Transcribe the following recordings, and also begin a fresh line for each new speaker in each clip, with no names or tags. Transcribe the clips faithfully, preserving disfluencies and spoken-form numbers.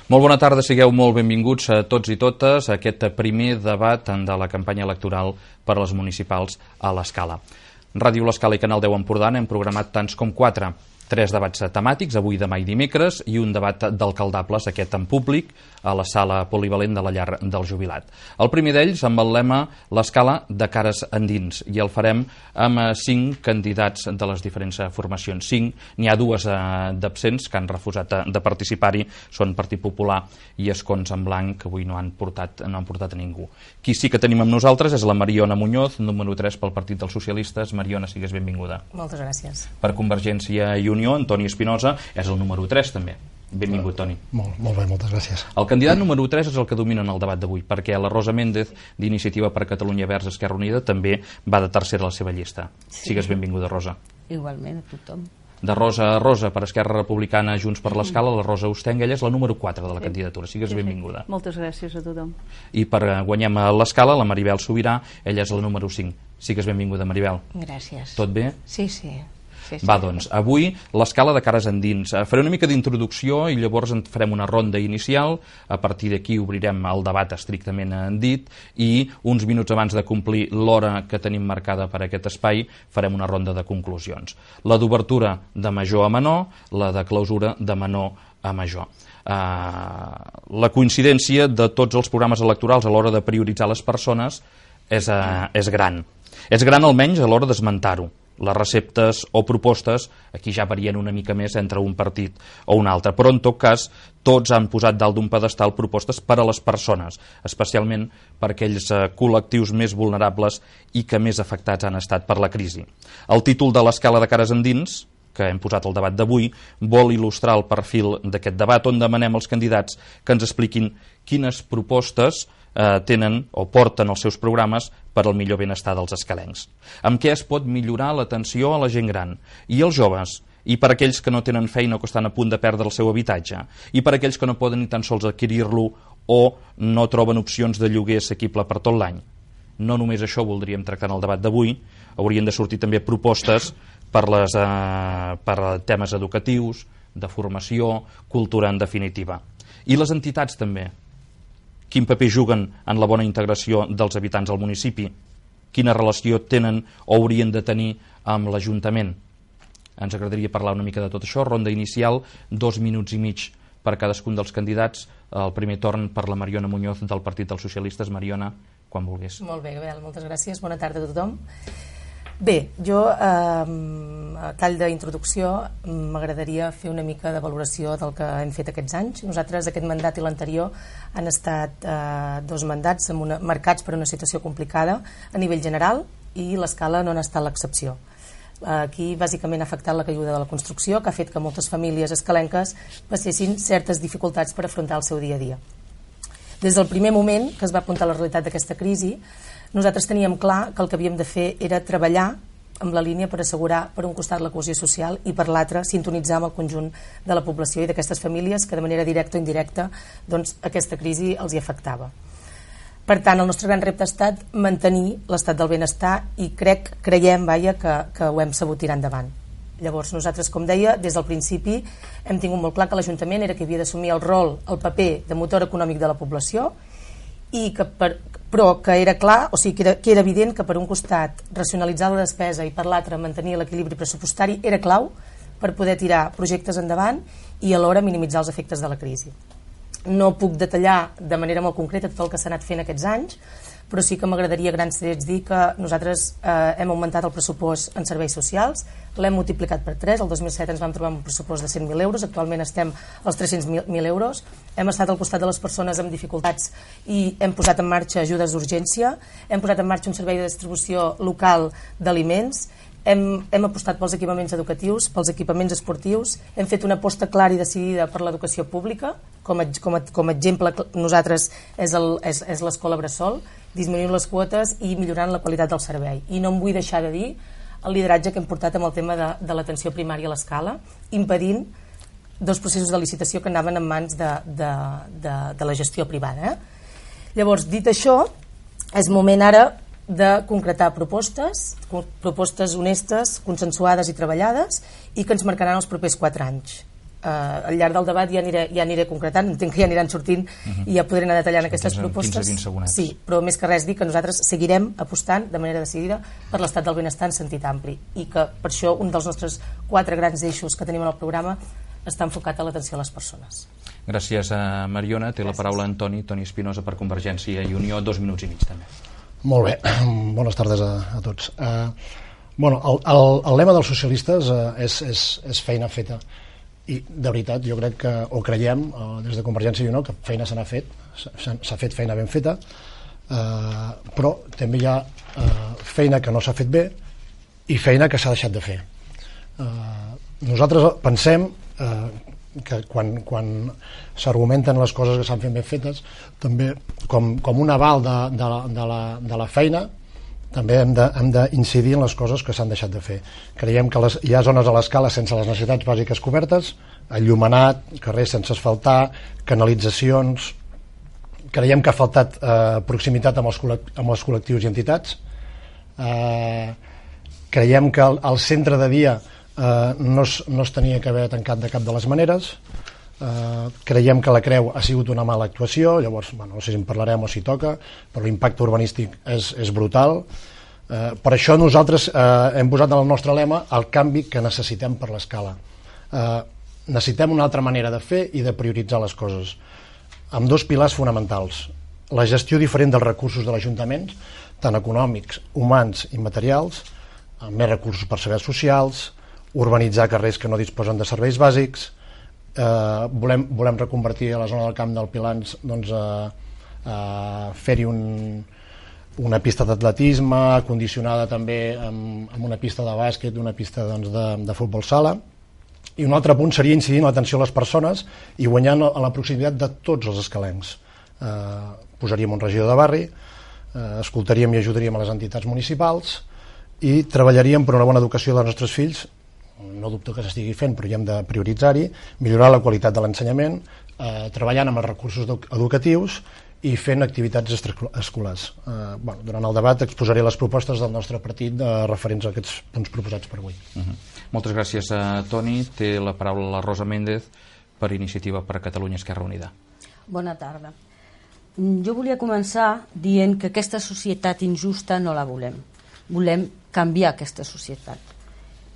Molt bona tarda, sigueu molt benvinguts a tots i totes a aquest primer debat de la campanya electoral per a les municipals a l'Escala. Ràdio L'Escala i Canal deu Empordà hem programat tants com quatre. Tres debats temàtics, avui, demà i dimecres, i un debat d'alcaldables, aquest en públic, a la sala polivalent de la Llar del Jubilat. El primer d'ells amb el lema L'Escala de cares endins, i el farem amb cinc candidats de les diferents formacions. Cinc, n'hi ha dues d'absents que han refusat de participar-hi, són Partit Popular i Escons en Blanc, que avui no han portat, no han portat a ningú. Qui sí que tenim amb nosaltres és la Mariona Muñoz, número tres pel Partit dels Socialistes. Mariona, sigues benvinguda.
Moltes gràcies.
Per Convergència i Unió, Antoni Espinosa és el número tres també. Benvingut, Toni.
Molt, molt bé, moltes gràcies.
El candidat número tres és el que domina en el debat d'avui, perquè la Rosa Méndez, d'Iniciativa per Catalunya Verds Esquerra Unida, també va de tercera a la seva llista. Sí. Sigues benvinguda, Rosa.
Igualment, a tothom.
De Rosa a Rosa, per Esquerra Republicana, Junts per l'Escala, la Rosa Ostenga, ella és la número quatre de la sí. candidatura. Sigues sí, benvinguda.
Sí. Moltes gràcies a tothom.
I per guanyar a l'Escala, la Maribel Sobirà, ella és la número cinc. Sigues benvinguda, Maribel.
Gràcies.
Tot bé?
Sí, sí. Sí, sí.
Va, doncs, avui l'Escala de cares endins. Faré una mica d'introducció i llavors en farem una ronda inicial. A partir d'aquí obrirem el debat estrictament en dit i uns minuts abans de complir l'hora que tenim marcada per aquest espai farem una ronda de conclusions. La d'obertura de major a menor, la de clausura de menor a major. Uh, la coincidència de tots els programes electorals a l'hora de prioritzar les persones és, uh, és gran. És gran almenys a l'hora d'esmentar-ho. Les receptes o propostes aquí ja varien una mica més entre un partit o un altre, però en tot cas tots han posat dalt d'un pedestal propostes per a les persones, especialment per aquells eh, col·lectius més vulnerables i que més afectats han estat per la crisi. El títol de l'Escala de cares endins, que hem posat al debat d'avui, vol il·lustrar el perfil d'aquest debat on demanem als candidats que ens expliquin quines propostes eh, tenen o porten els seus programes per al millor benestar dels escalencs. Amb què es pot millorar l'atenció a la gent gran i als joves, i per aquells que no tenen feina o que estan a punt de perdre el seu habitatge, i per aquells que no poden ni tan sols adquirir-lo o no troben opcions de lloguer assequible per tot l'any. No només això voldríem tractar en el debat d'avui, haurien de sortir també propostes per, les, eh, per temes educatius, de formació, cultura en definitiva. I les entitats també. Quin paper juguen en la bona integració dels habitants al municipi? Quina relació tenen o haurien de tenir amb l'Ajuntament? Ens agradaria parlar una mica de tot això. Ronda inicial, dos minuts i mig per cadascun dels candidats. El primer torn per la Mariona Muñoz del Partit dels Socialistes. Mariona, quan vulguis.
Molt bé, Gabriel, moltes gràcies. Bona tarda a tothom. Bé, jo, eh, a tall d'introducció, m'agradaria fer una mica de valoració del que hem fet aquests anys. Nosaltres, aquest mandat i l'anterior, han estat eh, dos mandats amb una, marcats per una situació complicada a nivell general i l'Escala no n'ha estat l'excepció. Aquí, bàsicament, ha afectat la caiguda de la construcció, que ha fet que moltes famílies escalenques passessin certes dificultats per afrontar el seu dia a dia. Des del primer moment que es va apuntar la realitat d'aquesta crisi, nosaltres teníem clar que el que havíem de fer era treballar amb la línia per assegurar, per un costat, la cohesió social i per l'altre, sintonitzar amb el conjunt de la població i d'aquestes famílies que de manera directa o indirecta doncs, aquesta crisi els hi afectava. Per tant, el nostre gran repte ha estat mantenir l'estat del benestar i crec, creiem, vaja, que, que ho hem sabut tirar endavant. Llavors, nosaltres, com deia, des del principi hem tingut molt clar que l'Ajuntament era qui havia d'assumir el rol, el paper de motor econòmic de la població i que per, però que era clar, o sigui, que era, que era evident que per un costat racionalitzar la despesa i per l'altre mantenir l'equilibri pressupostari era clau per poder tirar projectes endavant i alhora minimitzar els efectes de la crisi. No puc detallar de manera molt concreta tot el que s'ha anat fent aquests anys, però sí que m'agradaria a grans trets dir que nosaltres eh, hem augmentat el pressupost en serveis socials, l'hem multiplicat per tres, el dos mil set ens vam trobar amb un pressupost de cent mil euros, actualment estem als tres-cents mil euros, hem estat al costat de les persones amb dificultats i hem posat en marxa ajudes d'urgència, hem posat en marxa un servei de distribució local d'aliments, hem, hem apostat pels equipaments educatius, pels equipaments esportius, hem fet una aposta clara i decidida per l'educació pública, com a, com a, com a exemple nosaltres és, el, és, és l'escola Bressol, disminuint les quotes i millorant la qualitat del servei. I no em vull deixar de dir el lideratge que hem portat amb el tema de, de l'atenció primària a l'Escala, impedint dos processos de licitació que anaven en mans de, de, de, de la gestió privada. Eh? Llavors, dit això, és moment ara de concretar propostes, propostes honestes, consensuades i treballades i que ens marcaran els propers quatre anys. Uh, al llarg del debat ja aniré, ja aniré concretant, entenc que ja aniran sortint uh-huh. i ja podré anar detallant aquestes propostes.
quinze a vint
sí, però més que res dir que nosaltres seguirem apostant de manera decidida per l'estat del benestar en sentit ampli i que per això un dels nostres quatre grans eixos que tenim en el programa està enfocat a l'atenció a les persones.
Gràcies a Mariona. Té Gràcies. La paraula Antoni, Toni Espinosa per Convergència i Unió, dos minuts i mig també.
Molt bé, bones tardes a, a tots. Uh, bueno, el, el, el lema dels socialistes uh, és, és, és feina feta. I de veritat jo crec que, o creiem eh, des de Convergència i Unió, que feina se n'ha fet, s'ha fet feina ben feta, eh, però també hi ha eh, feina que no s'ha fet bé i feina que s'ha deixat de fer. Eh, nosaltres pensem eh, que quan, quan s'argumenten les coses que s'han fet ben fetes, també com, com un aval de, de, la, de, la, de la feina, també hem d'incidir en les coses que s'han deixat de fer. Creiem que les, hi ha zones a l'escala sense les necessitats bàsiques cobertes, enllumenat, carrers sense asfaltar, canalitzacions. Creiem que ha faltat eh, proximitat amb els, amb els col·lectius i entitats. Eh, creiem que el, el centre de dia eh, no, es, no es tenia que haver tancat de cap de les maneres. Uh, creiem que la Creu ha sigut una mala actuació, llavors bueno, no sé si en parlarem o si toca, però l'impacte urbanístic és, és brutal. Uh, per això nosaltres uh, hem posat en el nostre lema el canvi que necessitem per l'escala. Uh, necessitem una altra manera de fer i de prioritzar les coses, amb dos pilars fonamentals: la gestió diferent dels recursos de l'Ajuntament, tant econòmics, humans i materials, amb més recursos per serveis socials, urbanitzar carrers que no disposen de serveis bàsics. Uh, volem, volem reconvertir a la zona del camp del Pilans, doncs, uh, uh, fer-hi un, una pista d'atletisme condicionada també amb, amb una pista de bàsquet, una pista doncs, de, de futbol sala. I un altre punt seria incidir en l'atenció a les persones i guanyant a la proximitat de tots els escalencs. Uh, posaríem un regidor de barri, uh, escoltaríem i ajudaríem a les entitats municipals i treballaríem per una bona educació dels nostres fills. No dubto que s'estigui fent, però hi hem de prioritzar-hi, millorar la qualitat de l'ensenyament, eh, treballant amb els recursos educatius i fent activitats extraescolars. Eh, bueno, durant el debat exposaré les propostes del nostre partit de referents a aquests punts proposats per avui.
Uh-huh. Moltes gràcies a Toni. Té la paraula la Rosa Méndez per Iniciativa per Catalunya Esquerra Unida.
Bona tarda. Jo volia començar dient que aquesta societat injusta no la volem. Volem canviar aquesta societat.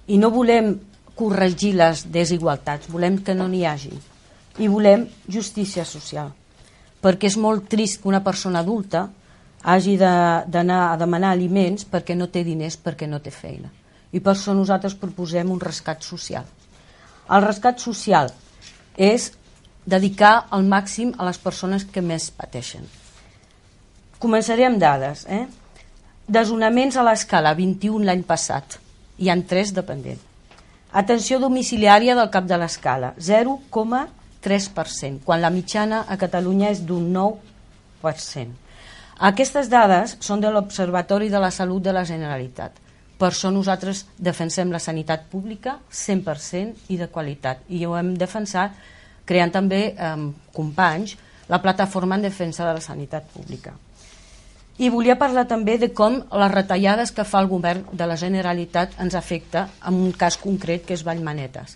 I no volem corregir les desigualtats, volem que no n'hi hagi. I volem justícia social. Perquè és molt trist que una persona adulta hagi d'anar a demanar aliments perquè no té diners, perquè no té feina. I per això nosaltres proposem un rescat social. El rescat social és dedicar al màxim a les persones que més pateixen. Començaré amb dades. Eh? Desnonaments a l'escala, vint-i-un l'any passat. Hi ha tres dependents. Atenció domiciliària del cap de l'escala, zero coma tres per cent, quan la mitjana a Catalunya és d'un nou per cent. Aquestes dades són de l'Observatori de la Salut de la Generalitat. Per això nosaltres defensem la sanitat pública cent per cent i de qualitat. I ho hem defensat creant també, eh, companys, la plataforma en defensa de la sanitat pública. I volia parlar també de com les retallades que fa el govern de la Generalitat ens afecta en un cas concret que és Vallmanetes.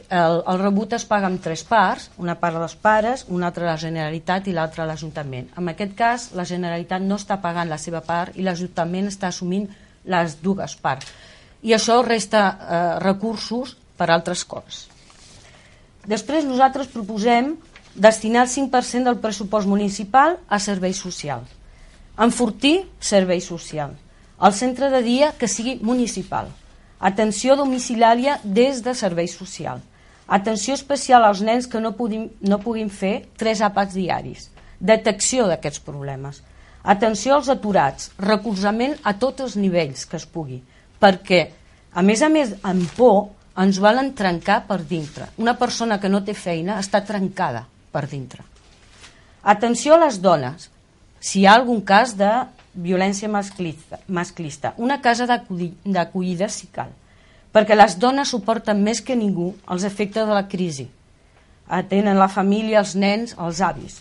El, el rebut es paga en tres parts, una part dels pares, una altra la Generalitat i l'altra l'Ajuntament. En aquest cas, la Generalitat no està pagant la seva part i l'Ajuntament està assumint les dues parts. I això resta eh, recursos per altres coses. Després nosaltres proposem destinar el cinc per cent del pressupost municipal a serveis socials. Enfortir servei social. El centre de dia que sigui municipal. Atenció domiciliària des de servei social. Atenció especial als nens que no puguin, no puguin fer tres àpats diaris. Detecció d'aquests problemes. Atenció als aturats. Recolzament a tots els nivells que es pugui. Perquè, a més a més, amb por, ens volen trencar per dintre. Una persona que no té feina està trencada per dintre. Atenció a les dones. Si hi ha algun cas de violència masclista, masclista una casa d'acollida si cal, perquè les dones suporten més que ningú els efectes de la crisi. Atenen la família, els nens, els avis.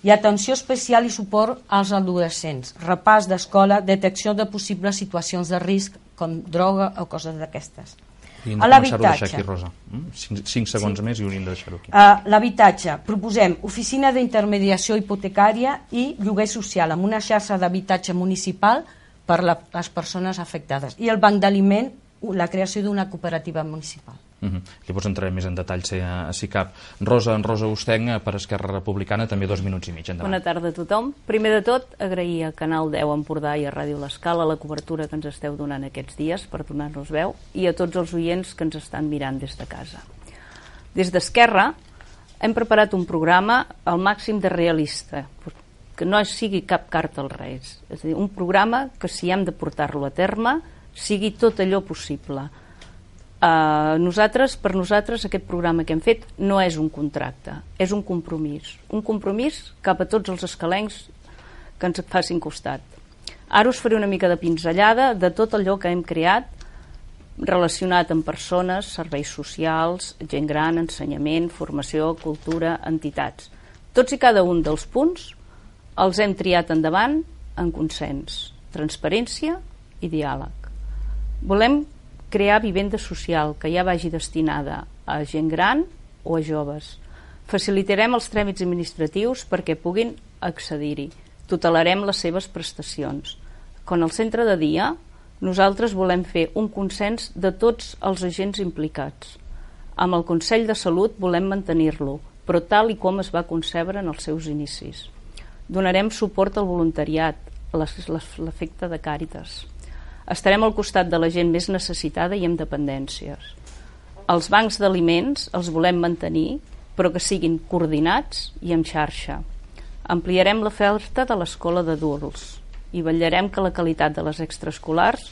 I atenció especial i suport als adolescents, repàs d'escola, detecció de possibles situacions de risc com droga o coses d'aquestes.
I hem de començar-ho a deixar aquí, Rosa. Cinc segons més i hauríem de deixar-ho aquí.
L'habitatge. Proposem oficina d'intermediació hipotecària i lloguer social amb una xarxa d'habitatge municipal per les persones afectades. I el banc d'aliment, la creació d'una cooperativa municipal.
Uh -huh. Llavors entrarem més en detall si, si cap. Rosa, en Rosa Ostenc, per Esquerra Republicana, també dos minuts i mig. Endavant.
Bona tarda a tothom. Primer de tot, agrair a Canal deu Empordà i a Ràdio L'Escala la cobertura que ens esteu donant aquests dies per donar-nos veu i a tots els oients que ens estan mirant des de casa. Des d'Esquerra hem preparat un programa al màxim de realista, que no sigui cap carta als Reis. És a dir, un programa que si hem de portar-lo a terme sigui tot allò possible. Uh, nosaltres, per nosaltres aquest programa que hem fet no és un contracte, és un compromís un compromís cap a tots els escalencs que ens facin costat. Ara us faré una mica de pinzellada de tot allò que hem creat relacionat amb persones, serveis socials, gent gran, ensenyament, formació, cultura, entitats. Tots i cada un dels punts els hem triat endavant en consens, transparència i diàleg. Volem crear vivenda social que ja vagi destinada a gent gran o a joves. Facilitarem els tràmits administratius perquè puguin accedir-hi. Tutelarem les seves prestacions. Con el centre de dia, nosaltres volem fer un consens de tots els agents implicats. Amb el Consell de Salut volem mantenir-lo, però tal i com es va concebre en els seus inicis. Donarem suport al voluntariat, a l'efecte de Càritas. Estarem al costat de la gent més necessitada i amb dependències. Els bancs d'aliments els volem mantenir, però que siguin coordinats i en xarxa. Ampliarem l'oferta de l'escola d'adults i vetllarem que la qualitat de les extraescolars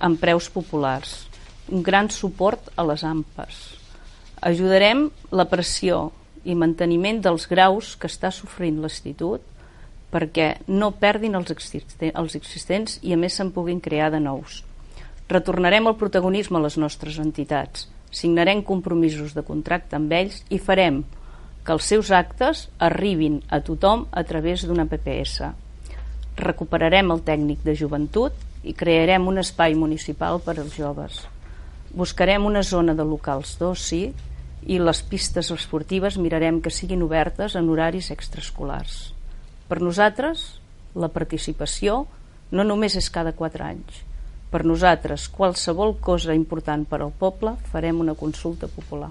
amb preus populars. Un gran suport a les A M P Es. Ajudarem la pressió i manteniment dels graus que està sofrint l'institut perquè no perdin els existents i a més se'n puguin crear de nous. Retornarem el protagonisme a les nostres entitats, signarem compromisos de contracte amb ells i farem que els seus actes arribin a tothom a través d'una P P S. Recuperarem el tècnic de joventut i crearem un espai municipal per als joves. Buscarem una zona de locals d'oci i les pistes esportives mirarem que siguin obertes en horaris extraescolars. Per nosaltres, la participació no només és cada quatre anys. Per nosaltres, qualsevol cosa important per al poble, farem una consulta popular.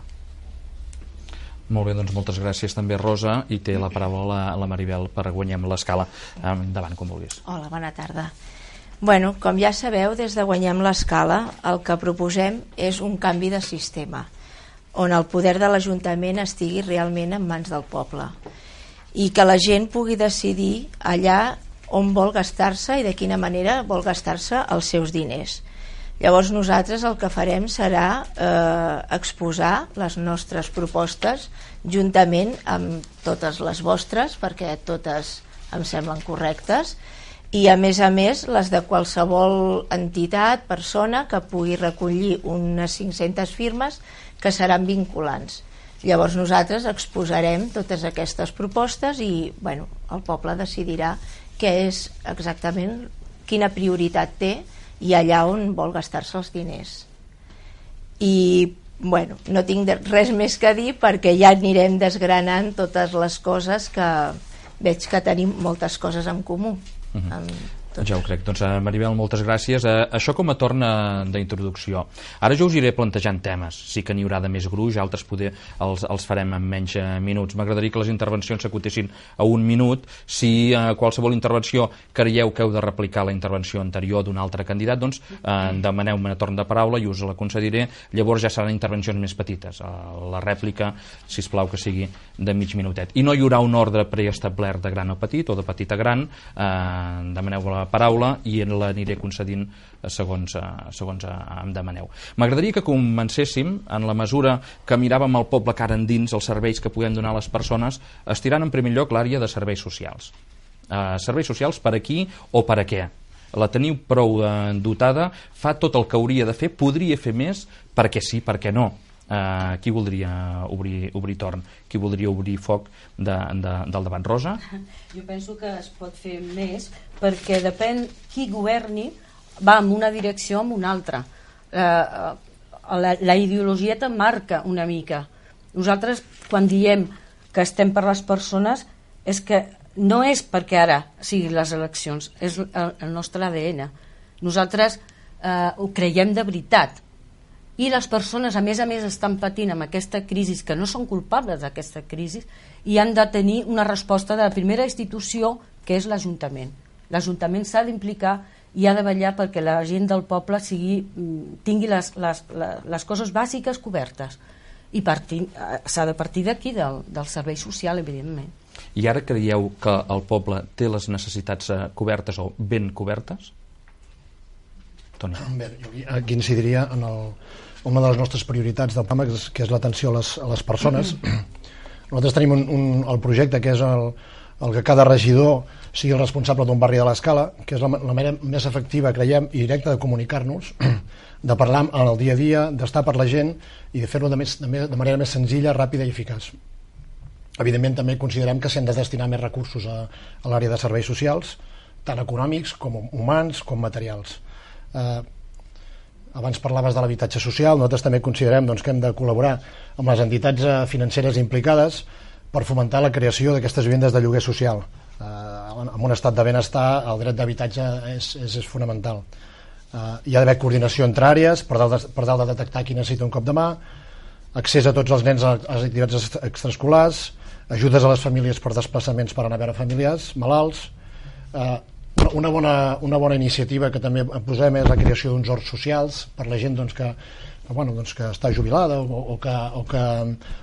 Molt bé, doncs moltes gràcies també, Rosa, i té la paraula la, la Maribel per Guanyem l'Escala. Endavant, com vulguis.
Hola, bona tarda. Bueno, com ja sabeu, des de Guanyem l'Escala el que proposem és un canvi de sistema, on el poder de l'Ajuntament estigui realment en mans del poble i que la gent pugui decidir allà on vol gastar-se i de quina manera vol gastar-se els seus diners. Llavors nosaltres el que farem serà eh, exposar les nostres propostes juntament amb totes les vostres, perquè totes em semblen correctes, i a més a més les de qualsevol entitat, persona que pugui recollir unes cinc-centes firmes que seran vinculants. Llavors nosaltres exposarem totes aquestes propostes i bueno, el poble decidirà què és exactament, quina prioritat té i allà on vol gastar-se els diners. I bueno, no tinc res més que dir perquè ja anirem desgranant totes les coses que veig que tenim moltes coses en comú.
Uh-huh. amb Ja ho crec. Doncs, Maribel, moltes gràcies. Eh, això com a torna d'introducció. Ara jo us iré plantejant temes. Sí que n'hi haurà de més gruix, altres poder els, els farem en menys eh, minuts. M'agradaria que les intervencions s'acotessin a un minut. Si eh, qualsevol intervenció creieu que heu de replicar la intervenció anterior d'un altre candidat, doncs eh, demaneu-me torn de paraula i us la concediré. Llavors ja seran intervencions més petites. Eh, la rèplica, sisplau, que sigui de mig minutet. I no hi haurà un ordre preestablert de gran a petit o de petit a gran. Eh, demaneu la paraula i l'aniré concedint segons, segons em demaneu. M'agradaria que comencéssim en la mesura que miràvem el poble cara endins, els serveis que podem donar a les persones, estirant en primer lloc l'àrea de serveis socials. Uh, serveis socials per aquí o per a què? La teniu prou uh, dotada, fa tot el que hauria de fer, podria fer més, perquè sí, perquè no. Uh, qui voldria obrir, obrir torn? Qui voldria obrir foc de, de, del debat? Rosa?
Jo penso que es pot fer més perquè depèn qui governi va en una direcció o en una altra. Uh, la, la ideologia te marca una mica. Nosaltres, quan diem que estem per les persones, és que no és perquè ara siguin les eleccions, és el, el nostre A D N. Nosaltres eh, ho creiem de veritat. I les persones, a més a més, estan patint amb aquesta crisi, que no són culpables d'aquesta crisi, i han de tenir una resposta de la primera institució, que és l'Ajuntament. L'Ajuntament s'ha d'implicar i ha de vetllar perquè la gent del poble sigui, tingui les, les, les coses bàsiques cobertes. I partir, s'ha de partir d'aquí, del, del servei social, evidentment.
I ara creieu que el poble té les necessitats cobertes o ben cobertes? Toni.
Bé, jo aquí incidiria en el, una de les nostres prioritats del programa, que és l'atenció a les, a les persones. Nosaltres tenim un, un, el projecte que és el, el que cada regidor sigui el responsable d'un barri de l'Escala, que és la, la manera més efectiva, creiem, i directa de comunicar-nos, de parlar en el dia a dia, d'estar per la gent i de fer-ho de, més, de, més, de manera més senzilla, ràpida i eficaç. Evidentment també considerem que s'han de destinar més recursos a, a l'àrea de serveis socials, tant econòmics com humans com materials. Eh, abans parlaves de l'habitatge social, nosaltres també considerem doncs, que hem de col·laborar amb les entitats financeres implicades per fomentar la creació d'aquestes vivendes de lloguer social. Eh, en un estat de benestar el dret d'habitatge és, és, és fonamental. Eh, hi ha d'haver coordinació entre àrees per tal, de, per tal de detectar qui necessita un cop de mà, accés a tots els nens a les activitats extraescolars, ajudes a les famílies per desplaçaments per anar a veure familiars malalts. Eh, Una bona, una bona iniciativa que també posem és la creació d'uns horts socials per la gent doncs, que, que, bueno, doncs, que està jubilada o, o, que, o, que,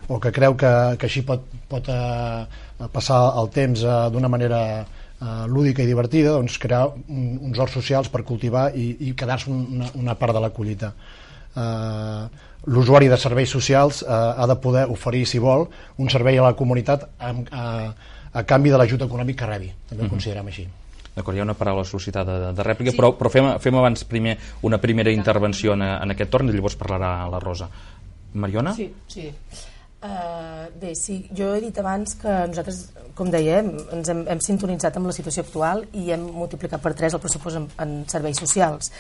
o que creu que, que així pot, pot eh, passar el temps eh, d'una manera eh, lúdica i divertida, doncs, crear un, uns horts socials per cultivar i, i quedar-se una, una part de la collita. Eh, l'usuari de serveis socials eh, ha de poder oferir, si vol, un servei a la comunitat a, a, a canvi de l'ajut econòmic que rebi. També ho mm-hmm. considerem així.
D'acord, hi ha una paraula sol·licitada de, de rèplica, sí. però, però fem, fem abans primer una primera intervenció en, en aquest torn i llavors parlarà la Rosa. Mariona?
Sí, sí. Uh, bé, sí, jo he dit abans que nosaltres, com dèiem, ens hem, hem sintonitzat amb la situació actual i hem multiplicat per tres el pressupost en, en serveis socials.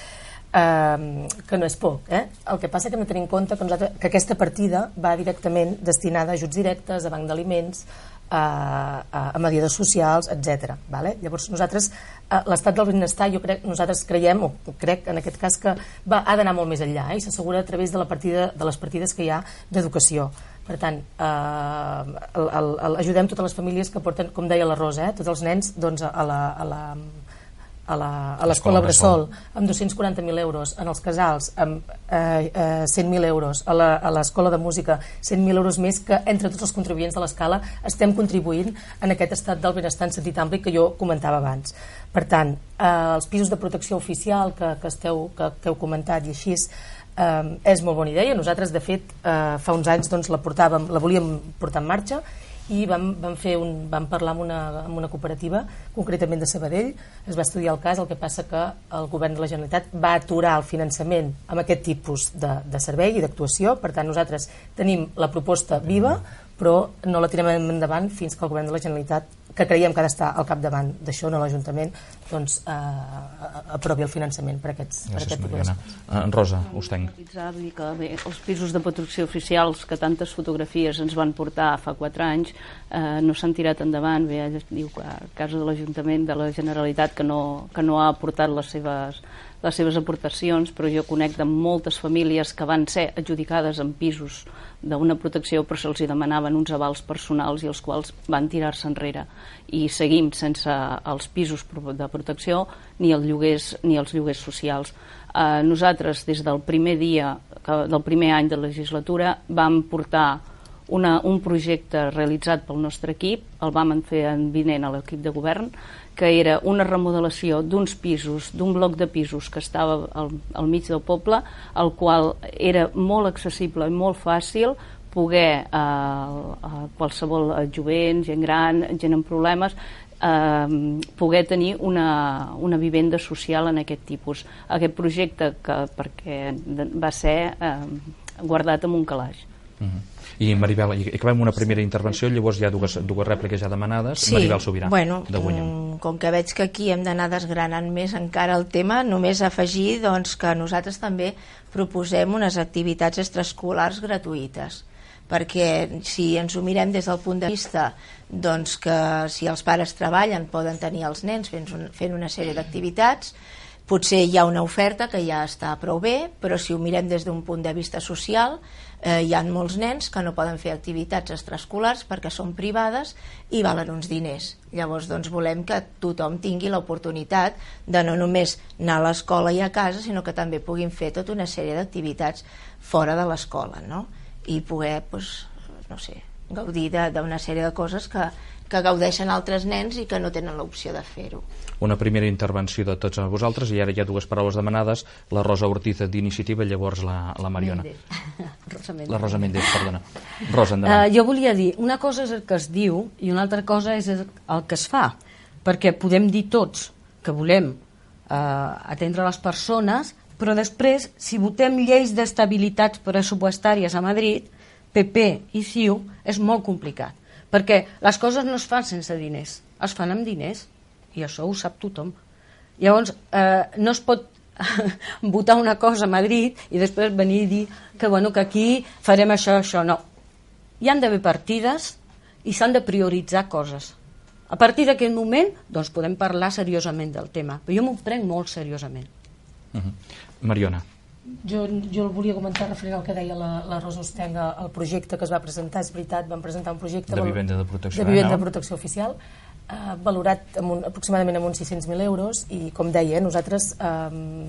Uh, que no és poc, eh? El que passa que hem de tenir en compte que, nosaltres, que aquesta partida va directament destinada a ajuts directes, a banc d'aliments, a, a, a mediadors socials, etcètera. Vale? Llavors nosaltres, uh, l'estat del benestar, jo crec, nosaltres creiem, o crec en aquest cas que va, ha d'anar molt més enllà eh? I s'assegura a través de, la partida, de les partides que hi ha d'educació. Per tant, eh, el, el, el, ajudem totes les famílies que porten, com deia la Rosa, eh? Tots els nens doncs, a la, a la a l'escola Bressol amb dos-cents quaranta mil euros, en els casals amb eh, eh, cent mil euros, a l'escola de música cent mil euros més, que entre tots els contribuents de l'escala estem contribuint en aquest estat del benestar en sentit ampli que jo comentava abans. Per tant, eh, els pisos de protecció oficial que, que, esteu, que, que heu comentat i així eh, és molt bona idea. Nosaltres de fet eh, fa uns anys doncs, la, portàvem, la volíem portar en marxa i vam, vam, fer un, vam parlar amb una, amb una cooperativa, concretament de Sabadell, es va estudiar el cas, el que passa que el govern de la Generalitat va aturar el finançament amb aquest tipus de, de servei i d'actuació. Per tant, nosaltres tenim la proposta viva, però no la tirem endavant fins que el govern de la Generalitat, que creiem que ha d'estar al capdavant d'això, no l'Ajuntament, doncs eh, aprovi el finançament per, aquests, per aquest tipus d'espais.
Uh, Rosa, Ustenc.
Vull dir que bé, els pisos de protecció oficials que tantes fotografies ens van portar fa quatre anys eh, no s'han tirat endavant. Bé, diu que a casa de l'Ajuntament de la Generalitat que no, que no ha aportat les seves les seves aportacions, però jo conec de moltes famílies que van ser adjudicades en pisos d'una protecció però se'ls demanaven uns avals personals i els quals van tirar-se enrere i seguim sense els pisos de protecció ni els lloguers, ni els lloguers socials. Eh, nosaltres des del primer dia del primer any de legislatura vam portar una, un projecte realitzat pel nostre equip, el vam fer en vinent a l'equip de govern, que era una remodelació d'uns pisos, d'un bloc de pisos que estava al, al mig del poble, el qual era molt accessible i molt fàcil poder eh, a qualsevol jovent, gent gran, gent amb problemes, eh, poder tenir una, una vivenda social en aquest tipus. Aquest projecte que perquè va ser eh, guardat en un calaix.
Uh-huh. I Maribel, i acabem una primera intervenció, llavors hi ha dues, dues rèpliques ja demanades.
Sí,
Maribel Sobirà,
bueno,
de Guanyem.
Com que veig que aquí hem d'anar desgranant més encara el tema, només afegir doncs, que nosaltres també proposem unes activitats extraescolars gratuïtes, perquè si ens ho mirem des del punt de vista doncs, que si els pares treballen poden tenir els nens fent, un, fent una sèrie d'activitats, potser hi ha una oferta que ja està prou bé, però si ho mirem des d'un punt de vista social, eh, hi ha molts nens que no poden fer activitats extraescolars perquè són privades i valen uns diners. Llavors doncs, volem que tothom tingui l'oportunitat de no només anar a l'escola i a casa, sinó que també puguin fer tota una sèrie d'activitats fora de l'escola, no? I poder, doncs, no sé, gaudir d'una sèrie de coses que, que gaudeixen altres nens i que no tenen l'opció de fer-ho.
Una primera intervenció de tots vosaltres, i ara hi ha dues paraules demanades, la Rosa Ortiz d'Iniciativa i llavors la, la Mariona.
Rosa Méndez.
La Rosa Méndez, perdona. Rosa, endavant.
Uh, jo volia dir, una cosa és el que es diu i una altra cosa és el que es fa, perquè podem dir tots que volem uh, atendre les persones, però després, si votem lleis d'estabilitat pressupostàries a Madrid, P P i C I U, és molt complicat, perquè les coses no es fan sense diners, es fan amb diners, i això ho sap tothom. Llavors, eh, no es pot votar una cosa a Madrid i després venir i dir que, bueno, que aquí farem això, això, no. Hi han d'haver partides i s'han de prioritzar coses. A partir d'aquest moment, doncs podem parlar seriosament del tema, però jo m'ho prenc molt seriosament.
Uh-huh. Mariona.
Jo, jo el volia comentar referent al que deia la, la Rosa Ostenga, el projecte que es va presentar, és veritat, vam presentar un projecte
de vivenda de protecció,
de, vivenda de protecció oficial, eh, valorat amb un, aproximadament amb uns sis-cents mil euros, i com deia, nosaltres eh,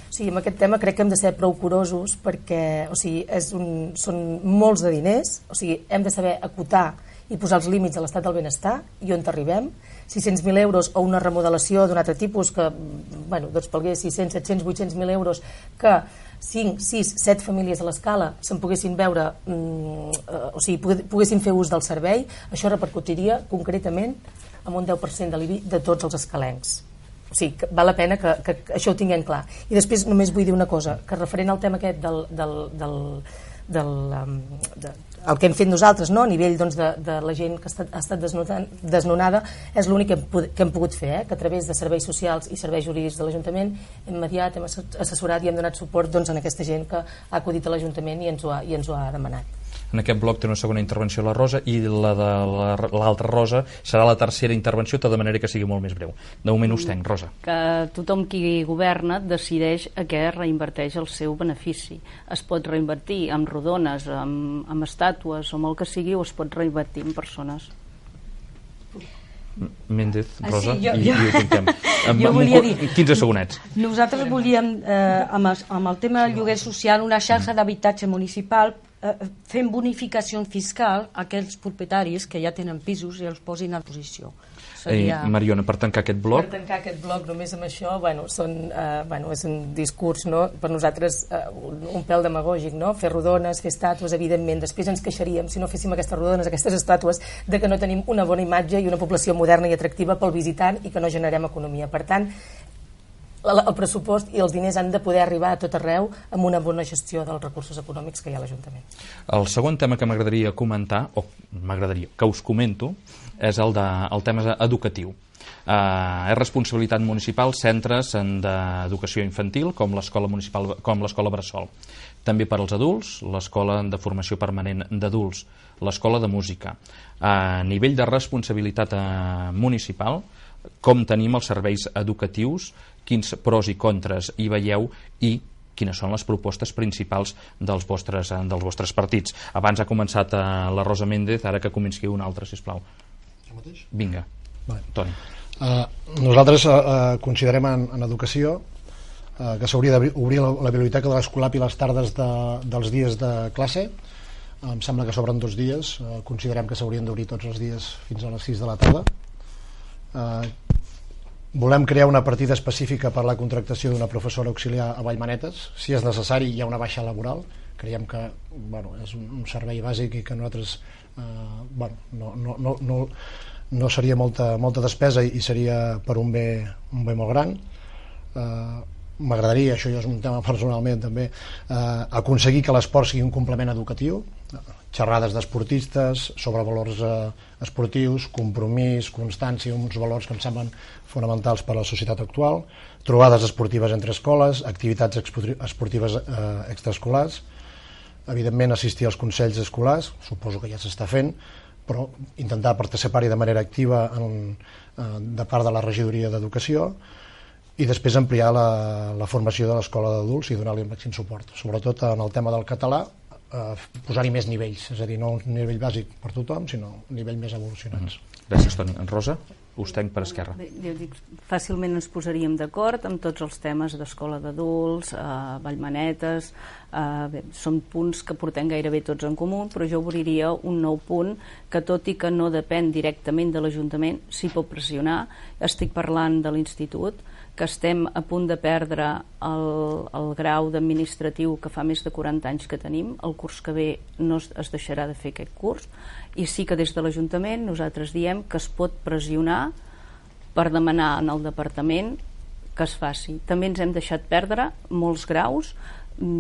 o sigui, amb aquest tema crec que hem de ser prou curosos perquè o sigui, és un, són molts de diners, o sigui, hem de saber acotar i posar els límits a l'estat del benestar i on arribem. sis-cents mil euros o una remodelació d'un altre tipus que, bueno, doncs pelgué sis-cents, set-cents, vuit-cents mil euros que cinc, sis, set famílies a l'escala se'n poguessin veure, mm, eh, o sigui, poguessin fer ús del servei, això repercutiria concretament amb un deu per cent de l'I B I de tots els escalencs. O sigui, que val la pena que, que, que això ho tinguem clar. I després només vull dir una cosa, que referent al tema aquest del, del, del, del, um, de, el que hem fet nosaltres, no? A nivell doncs, de, de la gent que ha estat, ha estat desnonada, és l'únic que, que hem pogut fer, eh? Que a través de serveis socials i serveis jurídics de l'Ajuntament hem mediat, hem assessorat i hem donat suport doncs, a aquesta gent que ha acudit a l'Ajuntament i ens ho ha, i ens ho ha demanat.
En aquest bloc té una segona intervenció la Rosa i la de l'altra la, Rosa serà la tercera intervenció, de manera que sigui molt més breu. De moment us tenc, Rosa.
Que tothom qui governa decideix a què reinverteix el seu benefici. Es pot reinvertir amb rodones, amb, amb estàtues o amb el que sigui, o es pot reinvertir en persones.
Méndez, Rosa,
ah, sí, jo,
i,
jo,
i ho comptem. Amb,
jo volia dir,
quinze segonets.
Nosaltres volíem, eh, amb, el, amb el tema del lloguer social, una xarxa d'habitatge municipal eh, fent bonificació fiscal a aquells propietaris que ja tenen pisos i els posin a posició.
Seria... Eh, Mariona, per tancar aquest bloc...
Per tancar aquest bloc només amb això, bueno, són, eh, bueno, és un discurs, no?, per nosaltres eh, un, un pèl demagògic, no?, fer rodones, fer estàtues, evidentment, després ens queixaríem, si no féssim aquestes rodones, aquestes estàtues, de que no tenim una bona imatge i una població moderna i atractiva pel visitant i que no generem economia. Per tant, el, el pressupost i els diners han de poder arribar a tot arreu amb una bona gestió dels recursos econòmics que hi ha a l'Ajuntament.
El segon tema que m'agradaria comentar, o m'agradaria que us comento, és el, de, el tema educatiu. Uh, és responsabilitat municipal centres d'educació infantil com l'escola municipal, com l'escola Bressol. També per als adults, l'escola de formació permanent d'adults, l'escola de música. A uh, nivell de responsabilitat uh, municipal, com tenim els serveis educatius, quins pros i contres hi veieu i quines són les propostes principals dels vostres, dels vostres partits. Abans ha començat uh, la Rosa Méndez, ara que comenci una altra, sisplau. Vinga,
vale.
Toni.
Uh, nosaltres uh, considerem en, en educació uh, que s'hauria d'obrir la, la biblioteca de l'Escolap i les tardes de, dels dies de classe. Uh, em sembla que s'obren dos dies. Uh, considerem que s'haurien d'obrir tots els dies fins a les sis de la tarda. Uh, volem crear una partida específica per a la contractació d'una professora auxiliar a Vallmanetes. Si és necessari, hi ha una baixa laboral. Creiem que bueno, és un, un servei bàsic i que nosaltres uh, bueno, no, no, no, no, no seria molta, molta despesa i seria per un bé, un bé molt gran. Uh, m'agradaria, això ja és un tema personalment també, uh, aconseguir que l'esport sigui un complement educatiu. xerrades d'esportistes sobre valors eh, esportius, compromís, constància, uns valors que em semblen fonamentals per a la societat actual, trobades esportives entre escoles, activitats esportives eh, extraescolars, evidentment assistir als consells escolars, suposo que ja s'està fent, però intentar participar-hi de manera activa en, eh, de part de la regidoria d'Educació, i després ampliar la, la formació de l'escola d'adults i donar-li el màxim suport, sobretot en el tema del català, eh, posar-hi més nivells, és a dir, no un nivell bàsic per tothom, sinó un nivell més evolucionats.
Mm. Gràcies, Toni. En Rosa, us tenc per esquerra.
Bé, jo dic, fàcilment ens posaríem d'acord amb tots els temes d'escola d'adults, eh, vallmanetes, eh, bé, són punts que portem gairebé tots en comú, però jo obriria un nou punt que, tot i que no depèn directament de l'Ajuntament, s'hi pot pressionar. Estic parlant de l'Institut, que estem a punt de perdre el, el grau d'administratiu que fa més de quaranta anys que tenim. El curs que ve no es, es deixarà de fer aquest curs, i sí que des de l'Ajuntament nosaltres diem que es pot pressionar per demanar en el departament que es faci. També ens hem deixat perdre molts graus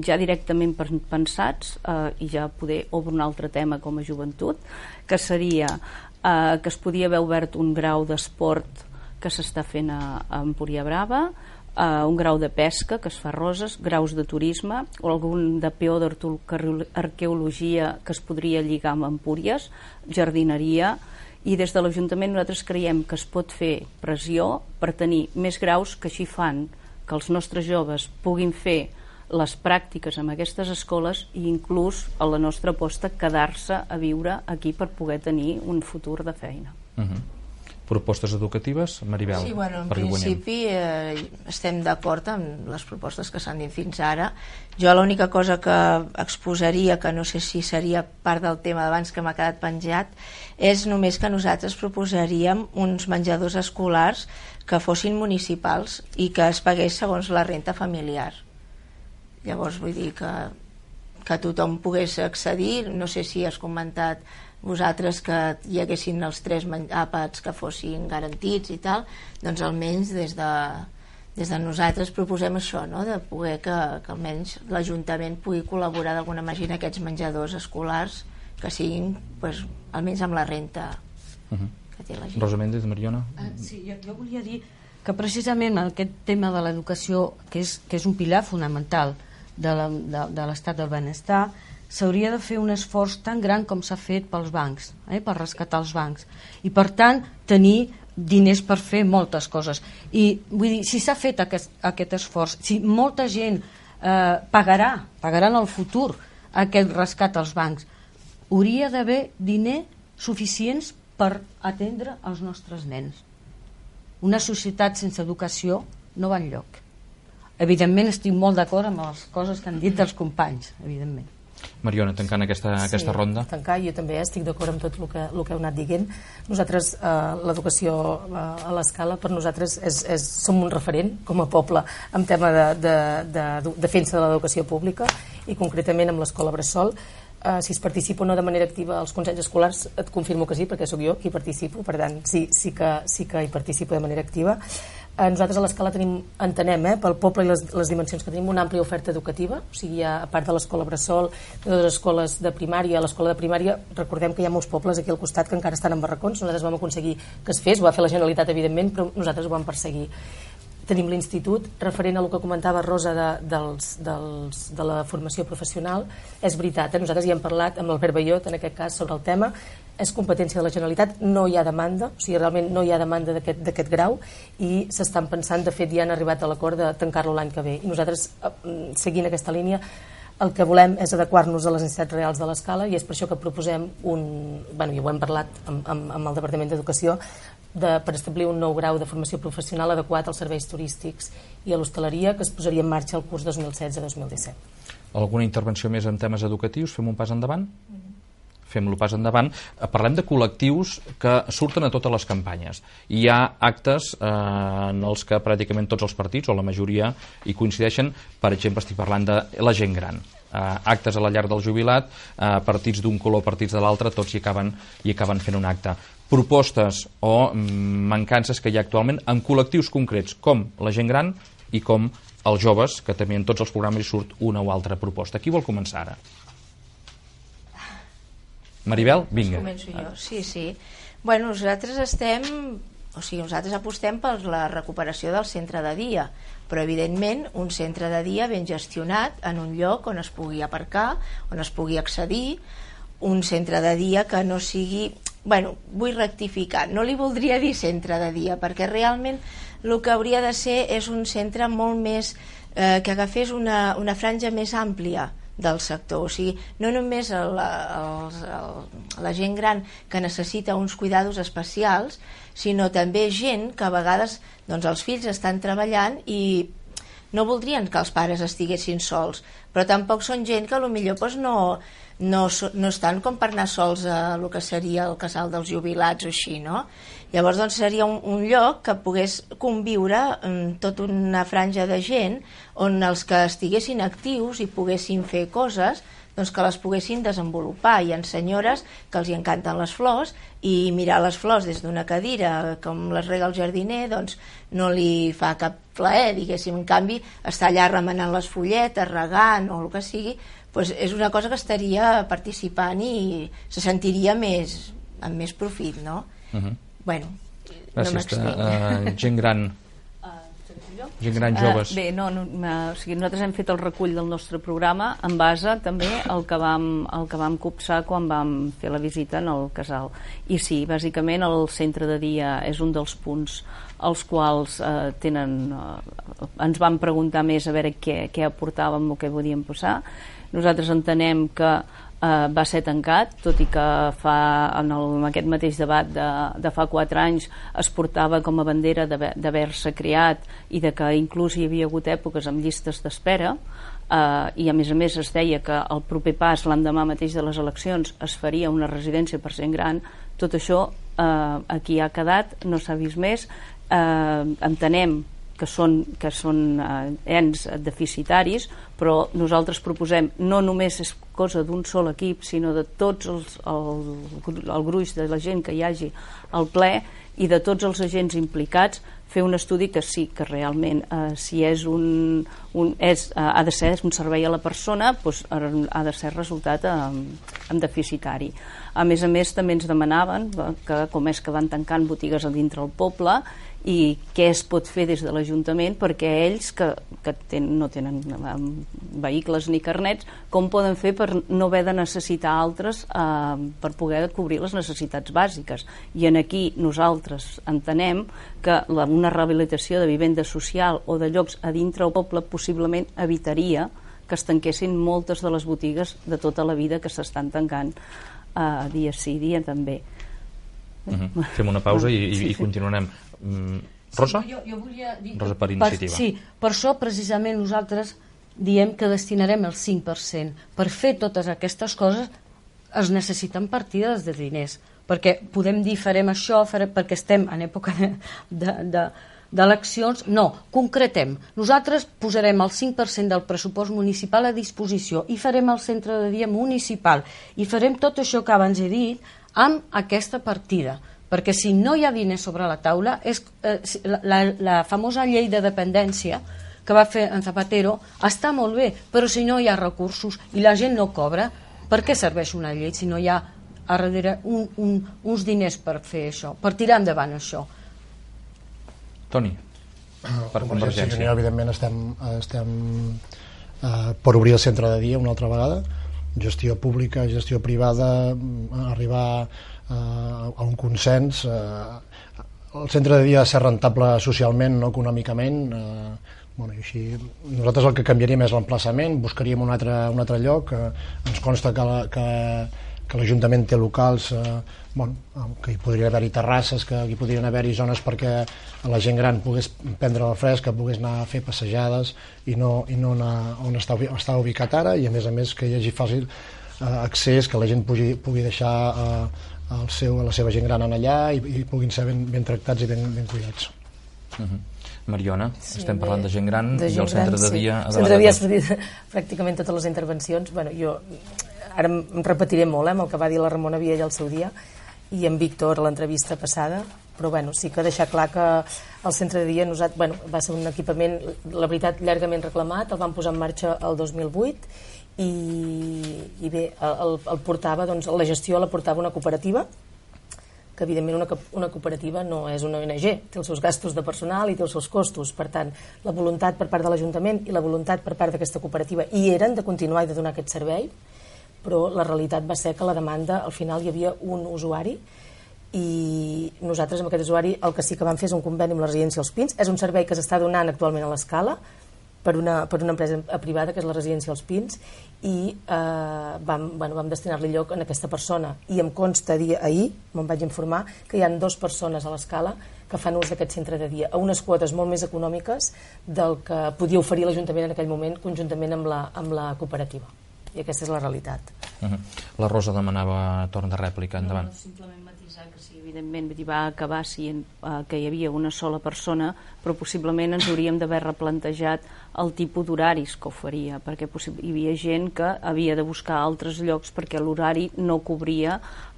ja directament pensats, eh, i ja poder obrir un altre tema com a joventut, que seria eh, que es podia haver obert un grau d'esport que s'està fent a, a Empúria Brava, uh, un grau de pesca que es fa a Roses, graus de turisme o algun de peó d'arqueologia que es podria lligar amb Empúries, jardineria, i des de l'Ajuntament nosaltres creiem que es pot fer pressió per tenir més graus que així fan que els nostres joves puguin fer les pràctiques en aquestes escoles i inclús a la nostra aposta quedar-se a viure aquí per poder tenir un futur de feina.
Uh-huh. Propostes educatives, Maribel?
Sí, bueno, en principi eh, estem d'acord amb les propostes que s'han dit fins ara. Jo l'única cosa que exposaria, que no sé si seria part del tema d'abans que m'ha quedat penjat, és només que nosaltres proposaríem uns menjadors escolars que fossin municipals i que es pagués segons la renta familiar. Llavors vull dir que, que tothom pogués accedir. No sé si has comentat vosaltres que hi haguessin els tres àpats que fossin garantits i tal, doncs almenys des de, des de nosaltres proposem això, no? De poder que, que almenys l'Ajuntament pugui col·laborar d'alguna manera en aquests menjadors escolars que siguin pues, almenys amb la renta uh-huh. que té la gent.
Rosa Méndez, Mariona?
Uh, sí, jo, jo volia dir que precisament aquest tema de l'educació, que és, que és un pilar fonamental de, la, de, de l'estat del benestar, s'hauria de fer un esforç tan gran com s'ha fet pels bancs, eh, per rescatar els bancs, i per tant tenir diners per fer moltes coses. I vull dir, si s'ha fet aquest, aquest esforç, si molta gent eh, pagarà, pagarà en el futur aquest rescat als bancs, hauria d'haver diner suficients per atendre els nostres nens. Una societat sense educació no va enlloc. Evidentment estic molt d'acord amb les coses que han dit els companys, evidentment.
Mariona, tancant aquesta,
sí,
aquesta ronda.
Tancar, jo també estic d'acord amb tot el que, el que heu anat dient. Nosaltres, eh, l'educació eh, a l'escala, per nosaltres és, és, som un referent com a poble en tema de, de, de, de defensa de l'educació pública i concretament amb l'escola Bressol. Uh, si es participa o no de manera activa als consells escolars, et confirmo que sí, perquè sóc jo qui participo, per tant sí, sí, que, sí que hi participo de manera activa. Uh, nosaltres a l'escala tenim, entenem, eh, pel poble i les, les dimensions que tenim, una àmplia oferta educativa, o sigui, a part de l'escola Bressol, de les escoles de primària, a l'escola de primària, recordem que hi ha molts pobles aquí al costat que encara estan en barracons, nosaltres vam aconseguir que es fes, ho va fer la Generalitat, evidentment, però nosaltres ho vam perseguir. Tenim l'institut, referent a el que comentava Rosa de, dels, dels, de la formació professional, és veritat, eh? Nosaltres hi hem parlat amb l'Albert Ballot en aquest cas sobre el tema, és competència de la Generalitat, no hi ha demanda, o sigui, realment no hi ha demanda d'aquest grau i s'estan pensant, de fet ja han arribat a l'acord de tancar-lo l'any que ve i nosaltres, seguint aquesta línia, el que volem és adequar-nos a les necessitats reals de l'escala i és per això que proposem un, bueno, ja ho hem parlat amb, amb, amb el Departament d'Educació, de, per establir un nou grau de formació professional adequat als serveis turístics i a l'hostaleria que es posaria en marxa el curs dos mil setze dos mil disset.
Alguna intervenció més en temes educatius? Fem un pas endavant? Mm-hmm. Fem-lo pas endavant. Parlem de col·lectius que surten a totes les campanyes. Hi ha actes eh, en els que pràcticament tots els partits, o la majoria, hi coincideixen. Per exemple, estic parlant de la gent gran. Uh, actes a la llar del jubilat, uh, partits d'un color, partits de l'altre, tots hi acaben, hi acaben fent un acte. Propostes o mm, mancances que hi ha actualment en col·lectius concrets, com la gent gran i com els joves, que també en tots els programes hi surt una o altra proposta. Qui vol començar ara? Maribel, vinga.
Començo jo, sí, sí. Bueno, nosaltres estem, o sigui, nosaltres apostem per la recuperació del centre de dia, però evidentment un centre de dia ben gestionat en un lloc on es pugui aparcar, on es pugui accedir, un centre de dia que no sigui... Bueno, vull rectificar, no li voldria dir centre de dia, perquè realment el que hauria de ser és un centre molt més... Eh, que agafés una, una franja més àmplia del sector, o sigui, no només el, el, el, la gent gran que necessita uns cuidados especials, sinó també gent que a vegades doncs, els fills estan treballant i no voldrien que els pares estiguessin sols, però tampoc són gent que potser doncs, no, no, no estan com per anar sols a el que seria el casal dels jubilats o així, no? Llavors doncs, seria un, un lloc que pogués conviure amb tota una franja de gent on els que estiguessin actius i poguessin fer coses doncs que les poguessin desenvolupar. Hi ha senyores que els hi encanten les flors i mirar les flors des d'una cadira com les rega el jardiner doncs no li fa cap plaer, diguéssim. En canvi, estar allà remenant les folletes, regant o el que sigui, doncs és una cosa que estaria participant i se sentiria més, amb més profit, no? Uh-huh. Bueno,
gràcies,
no m'extenc.
Uh, gent gran... gent gran, joves.
Uh, bé, no, no, uh, o sigui, nosaltres hem fet el recull del nostre programa en base també al que vam, el que vam copsar quan vam fer la visita en el casal. I sí, bàsicament el centre de dia és un dels punts als quals uh, tenen, uh, ens van preguntar més a veure què, què aportàvem o què podíem posar. Nosaltres entenem que Uh, va ser tancat, tot i que fa, en, el, en aquest mateix debat de, de fa quatre anys es portava com a bandera d'haver-se creat i de que inclús hi havia hagut èpoques amb llistes d'espera, uh, i a més a més es deia que el proper pas l'endemà mateix de les eleccions es faria una residència per gent gran. Tot això uh, aquí ha quedat, no s'ha vist més. Uh, entenem que són, que són eh, ens deficitaris, però nosaltres proposem no només és cosa d'un sol equip, sinó de tots els, el, el gruix de la gent que hi hagi al ple i de tots els agents implicats, fer un estudi que sí, que realment eh, si és un, un és, eh, ha de ser un servei a la persona, doncs ha de ser resultat en, en deficitari. A més a més també ens demanaven que com és que van tancant botigues a dintre el poble i què es pot fer des de l'Ajuntament perquè ells que, que ten, no tenen um, vehicles ni carnets, com poden fer per no haver de necessitar altres uh, per poder cobrir les necessitats bàsiques. I en aquí nosaltres entenem que la, una rehabilitació de vivenda social o de llocs a dintre el poble possiblement evitaria que es tanquessin moltes de les botigues de tota la vida que s'estan tancant uh, dia sí, dia també.
Uh-huh. Fem una pausa i, i, i continuarem. Mm, Rosa?
Sí, jo, jo volia dir,
Rosa per iniciativa.
Per, sí, per això precisament nosaltres diem que destinarem el cinc per cent. Per fer totes aquestes coses es necessiten partides de diners, perquè podem dir farem això farem, perquè estem en època de, de, de, d'eleccions. No, concretem. Nosaltres posarem el cinc per cent del pressupost municipal a disposició i farem el centre de dia municipal i farem tot això que abans he dit amb aquesta partida, perquè si no hi ha diners sobre la taula és, eh, la, la, la famosa llei de dependència que va fer en Zapatero està molt bé, però si no hi ha recursos i la gent no cobra, per què serveix una llei si no hi ha a darrere un, un, uns diners per fer això, per tirar endavant això?
Toni, per Convergència.
Unió, evidentment estem, estem eh, per obrir el centre de dia una altra vegada, gestió pública, gestió privada, arribar eh, a un consens. Eh, el centre de dia ha de ser rentable socialment, no econòmicament. Eh, bueno, i així, nosaltres el que canviaríem és l'emplaçament, buscaríem un altre, un altre lloc. Eh, ens consta que la, que, que l'Ajuntament té locals, eh, bueno, que hi podria haver-hi terrasses, que hi podrien haver-hi zones perquè la gent gran pogués prendre el fresc, que pogués anar a fer passejades i no, i no anar on està, està ubicat ara, i a més a més que hi hagi fàcil eh, accés, que la gent pugui, pugui deixar eh, el seu, la seva gent gran en allà i, i puguin ser ben, ben tractats i ben, ben cuidats.
Uh-huh. Mariona, sí, estem parlant de gent gran
de gent
i el centre
gran,
de dia...
Sí. El centre de dia has dit pràcticament totes les intervencions. Bueno, jo ara em repetiré molt eh, amb el que va dir la Ramona Viella al seu dia i en Víctor a l'entrevista passada, però bueno, sí que deixar clar que el centre de dia nosaltres, bueno, va ser un equipament, la veritat, llargament reclamat, el vam posar en marxa el dos mil vuit i, i bé, el, el portava, doncs, la gestió la portava una cooperativa, que evidentment una, una cooperativa no és una O N G, té els seus gastos de personal i té els seus costos. Per tant, la voluntat per part de l'Ajuntament i la voluntat per part d'aquesta cooperativa hi eren de continuar i de donar aquest servei, però la realitat va ser que la demanda, al final hi havia un usuari i nosaltres amb aquest usuari el que sí que vam fer és un conveni amb la residència Els Pins. És un servei que s'està donant actualment a l'Escala per una, per una empresa privada que és la residència Els Pins i eh, vam, bueno, vam destinar-li lloc a aquesta persona i em consta dir ahir, me'n vaig informar que hi ha dues persones a l'Escala que fan ús d'aquest centre de dia a unes quotes molt més econòmiques del que podia oferir l'Ajuntament en aquell moment conjuntament amb la, amb la cooperativa, i aquesta és la realitat.
Uh-huh. La Rosa demanava torn de rèplica, endavant.
No, simplement matisar que sí, evidentment va acabar sent uh, que hi havia una sola persona, però possiblement ens hauríem d'haver replantejat el tipus d'horaris que oferia, perquè hi havia gent que havia de buscar altres llocs perquè l'horari no cobria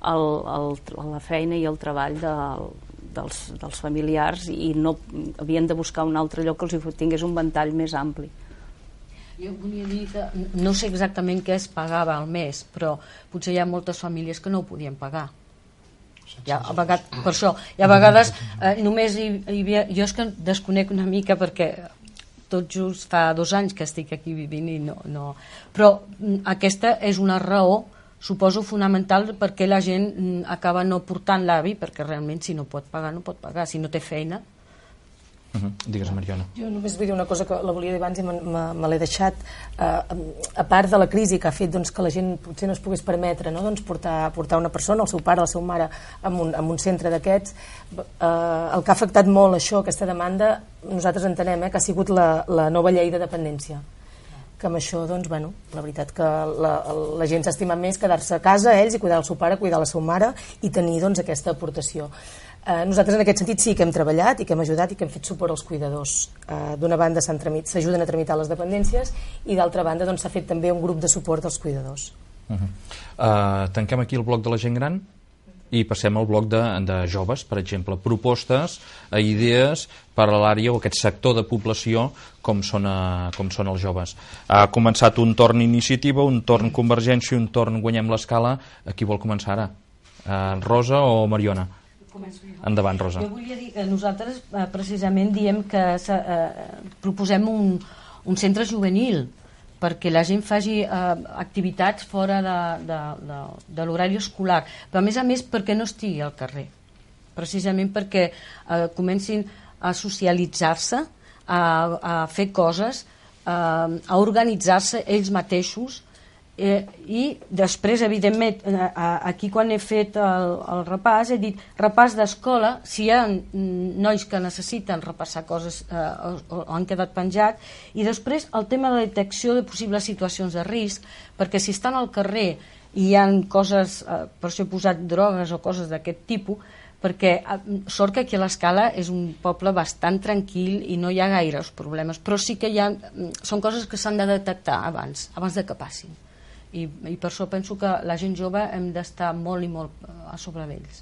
el, el, la feina i el treball del, dels, dels familiars i no havien de buscar un altre lloc que els tingués un ventall més ampli.
Jo volia dir que no sé exactament què es pagava al mes, però potser hi ha moltes famílies que no ho podien pagar. Ja, a vegades, per això, i a vegades eh, només hi, hi havia... Jo és que desconec una mica perquè tot just fa dos anys que estic aquí vivint i no... no. Però aquesta és una raó, suposo, fonamental perquè la gent acaba no portant l'avi, perquè realment si no pot pagar, no pot pagar. Si no té feina...
Uh-huh. Digues, Mariona.
Jo només vull dir una cosa que la volia dir abans i me, me, me l'he deixat. Uh, a part de la crisi que ha fet doncs, que la gent potser no es pogués permetre, no? doncs, portar, portar una persona, el seu pare, la seva mare, en un, en un centre d'aquests, uh, el que ha afectat molt això, aquesta demanda, nosaltres entenem eh, que ha sigut la, la nova llei de dependència. Que amb això, doncs, bueno, la veritat que la, la gent s'ha estimat més quedar-se a casa, ells, i cuidar el seu pare, cuidar la seva mare, i tenir doncs, aquesta aportació. Eh, nosaltres en aquest sentit sí que hem treballat i que hem ajudat i que hem fet suport als cuidadors. Eh, d'una banda s'ajuden a tramitar les dependències i d'altra banda doncs, s'ha fet també un grup de suport als cuidadors.
Uh-huh. uh, tanquem aquí el bloc de la gent gran i passem al bloc de, de joves, per exemple, propostes, eh, idees per a l'àrea o aquest sector de població com són, eh, com són els joves. Ha començat un torn iniciativa, un torn Convergència i un torn Guanyem l'Escala. A qui vol començar ara? Uh, Rosa o Mariona? Endavant, Rosa.
Jo volia dir que nosaltres eh, precisament diem que eh, proposem un, un centre juvenil perquè la gent faci eh, activitats fora de, de, de, de l'horari escolar, però a més a més perquè no estigui al carrer, precisament perquè eh, comencin a socialitzar-se, a, a fer coses, eh, a organitzar-se ells mateixos. Eh, i després, evidentment, eh, aquí quan he fet el, el repàs he dit repàs d'escola, si hi ha nois que necessiten repassar coses eh, o, o han quedat penjats, i després el tema de la detecció de possibles situacions de risc, perquè si estan al carrer i hi ha coses, eh, per això he posat drogues o coses d'aquest tipus, perquè sort que aquí a l'Escala és un poble bastant tranquil i no hi ha gaires problemes, però sí que hi ha, són coses que s'han de detectar abans, abans de que passin. I, i per això penso que la gent jove hem d'estar molt i molt a sobre d'ells.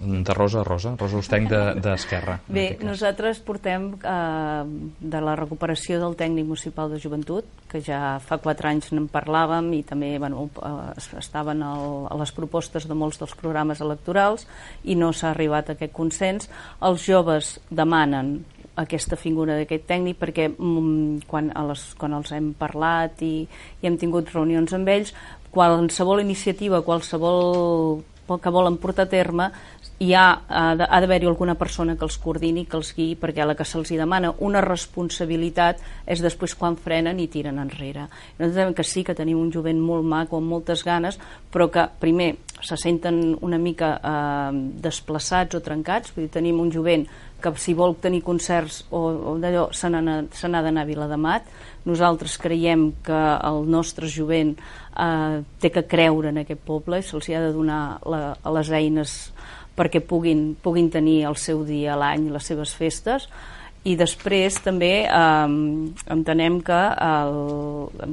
De Rosa a Rosa, Rosa Hostenc d'Esquerra.
De, Bé, nosaltres portem eh, de la recuperació del tècnic municipal de joventut, que ja fa quatre anys en parlàvem i també bueno, eh, estaven al, a les propostes de molts dels programes electorals i no s'ha arribat a aquest consens. Els joves demanen aquesta figura d'aquest tècnic perquè mm, quan, a les, quan els hem parlat i, i hem tingut reunions amb ells, qualsevol iniciativa, qualsevol que volen portar a terme, hi ha, ha d'haver-hi alguna persona que els coordini, que els guiï, perquè a la que se'ls demana una responsabilitat és després quan frenen i tiren enrere. Nosaltres sabem que sí, que tenim un jovent molt maco, amb moltes ganes, però que primer se senten una mica eh, desplaçats o trencats, vull dir, tenim un jovent que si vol tenir concerts o, o d'allò se n'ha d'anar a Viladamat. Nosaltres creiem que el nostre jovent eh, té que creure en aquest poble i se'ls ha de donar la, les eines perquè puguin, puguin tenir el seu dia a l'any, les seves festes. I després també eh, entenem que el,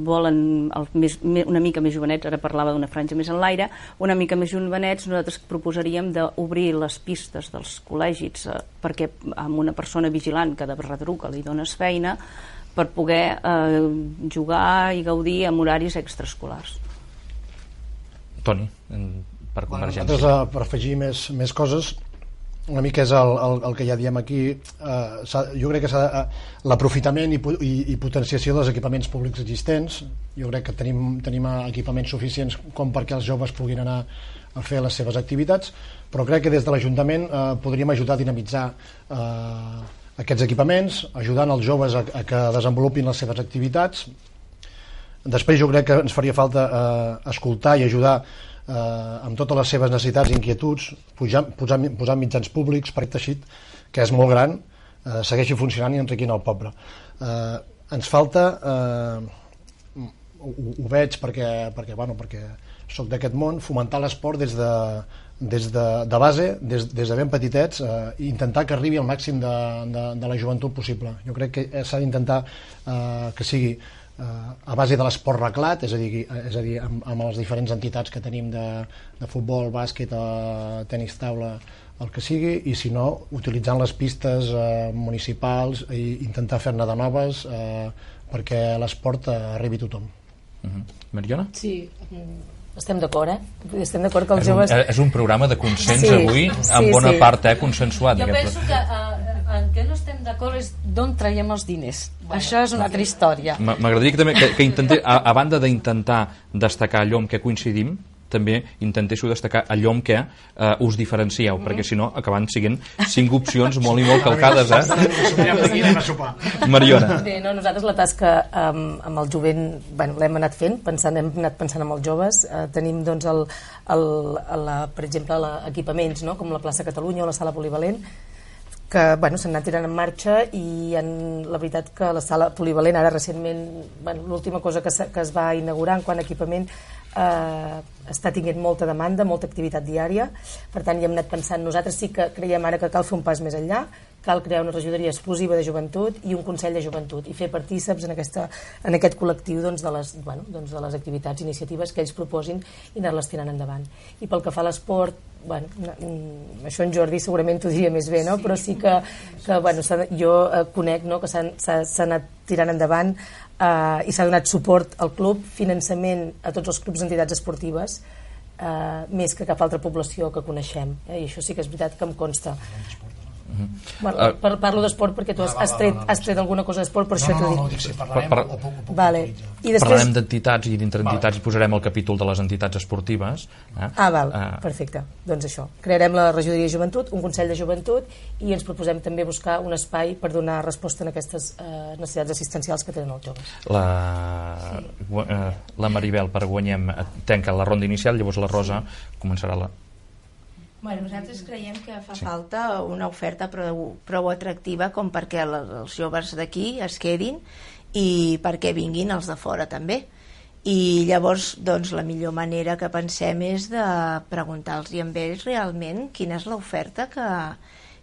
volen el més, una mica més jovenets, ara parlava d'una franja més en l'aire, una mica més jovenets, nosaltres proposaríem d'obrir les pistes dels col·legis eh, perquè amb una persona vigilant que de retruca li dones feina, per poder eh, jugar i gaudir amb horaris extraescolars.
Toni, per Convergència.
Bueno, nosaltres, per afegir més, més coses, una mica és el, el, el que ja diem aquí, eh, jo crec que s'ha l'aprofitament i, i, i potenciació dels equipaments públics existents. Jo crec que tenim, tenim equipaments suficients com perquè els joves puguin anar a fer les seves activitats, però crec que des de l'Ajuntament eh, podríem ajudar a dinamitzar eh, aquests equipaments, ajudant els joves a, a que desenvolupin les seves activitats. Després jo crec que ens faria falta eh, escoltar i ajudar eh, amb totes les seves necessitats i inquietuds, posar, posar, posar mitjans públics per aquest teixit que és molt gran, eh, segueixi funcionant i enriquint el poble. Eh, ens falta, eh, ho, ho veig perquè, perquè, bueno, perquè soc d'aquest món, fomentar l'esport des de, des de, de base, des, des de ben petitets, eh, i intentar que arribi al màxim de, de, de la joventut possible. Jo crec que s'ha d'intentar eh, que sigui a base de l'esport reglat, és a dir, és a dir amb, amb les diferents entitats que tenim de, de futbol, bàsquet, tenis taula, el que sigui, i si no, utilitzant les pistes eh, municipals i intentar fer-ne de noves eh, perquè l'esport eh, arribi a tothom.
Uh-huh. Mariona?
Sí, estem d'acord, eh? Estem d'acord que els
és un,
joves...
És un programa de consens
sí,
avui,
sí,
en bona
sí.
part, eh, consensuat.
Jo penso que uh, en què no estem d'acord és d'on traiem els diners. Bueno, això és una altra història.
M'agradaria que, també, que, que intenté, a, a banda d'intentar destacar allò en què coincidim, també intentéssiu destacar allò en què eh, us diferencieu, mm-hmm. perquè si no acaben siguent cinc opcions molt i molt calcades, eh? Mariona.
Bé, no, nosaltres la tasca amb, amb el jovent, bueno, l'hem anat fent, pensant, hem anat pensant amb els joves, eh, tenim doncs el, el, la, per exemple la, equipaments, no? Com la plaça Catalunya o la sala polivalent, que bueno, s'han anat tirant en marxa, i en, la veritat que la sala polivalent ara recentment, bueno, l'última cosa que, que es va inaugurar en quant a equipament eh, està tinguent molta demanda, molta activitat diària, per tant hi hem anat pensant. Nosaltres sí que creiem ara que cal fer un pas més enllà, cal crear una regidoria exclusiva de joventut i un consell de joventut i fer partíceps en, aquesta, en aquest col·lectiu doncs, de, les, bueno, doncs, de les activitats, iniciatives que ells proposin i anar-les tirant endavant. I pel que fa a l'esport, bueno, això en Jordi segurament t'ho diria més bé, no? Però sí que, que bueno, jo eh, conec, no? Que s'ha anat tirant endavant eh, i s'ha donat suport al club, finançament a tots els clubs d'entitats esportives, eh, més que cap altra població que coneixem, eh? I això sí que és veritat que em consta. Uh-huh. Bueno, uh, per, parlo d'esport perquè tu has, has, tret, has tret alguna cosa d'esport, per
no,
això t'ho dic.
No, no, dic, sí, parlarem,
per,
o, o, o, o,
vale. I després...
Parlarem d'entitats i dintre entitats vale. Posarem el capítol de les entitats esportives. Eh?
Ah, val,
uh,
perfecte. Doncs això, crearem la regidoria de joventut, un consell de joventut, i ens proposem també buscar un espai per donar resposta a aquestes eh, necessitats assistencials que tenen els joves.
La, sí. uh, la Maribel, per Guanyem, tanca la ronda inicial, llavors la Rosa començarà la...
Bueno, nosaltres creiem que fa sí. falta una oferta prou, prou atractiva com perquè els joves d'aquí es quedin i perquè vinguin els de fora també. I llavors doncs, la millor manera que pensem és de preguntar-los a ells realment quina és l'oferta que,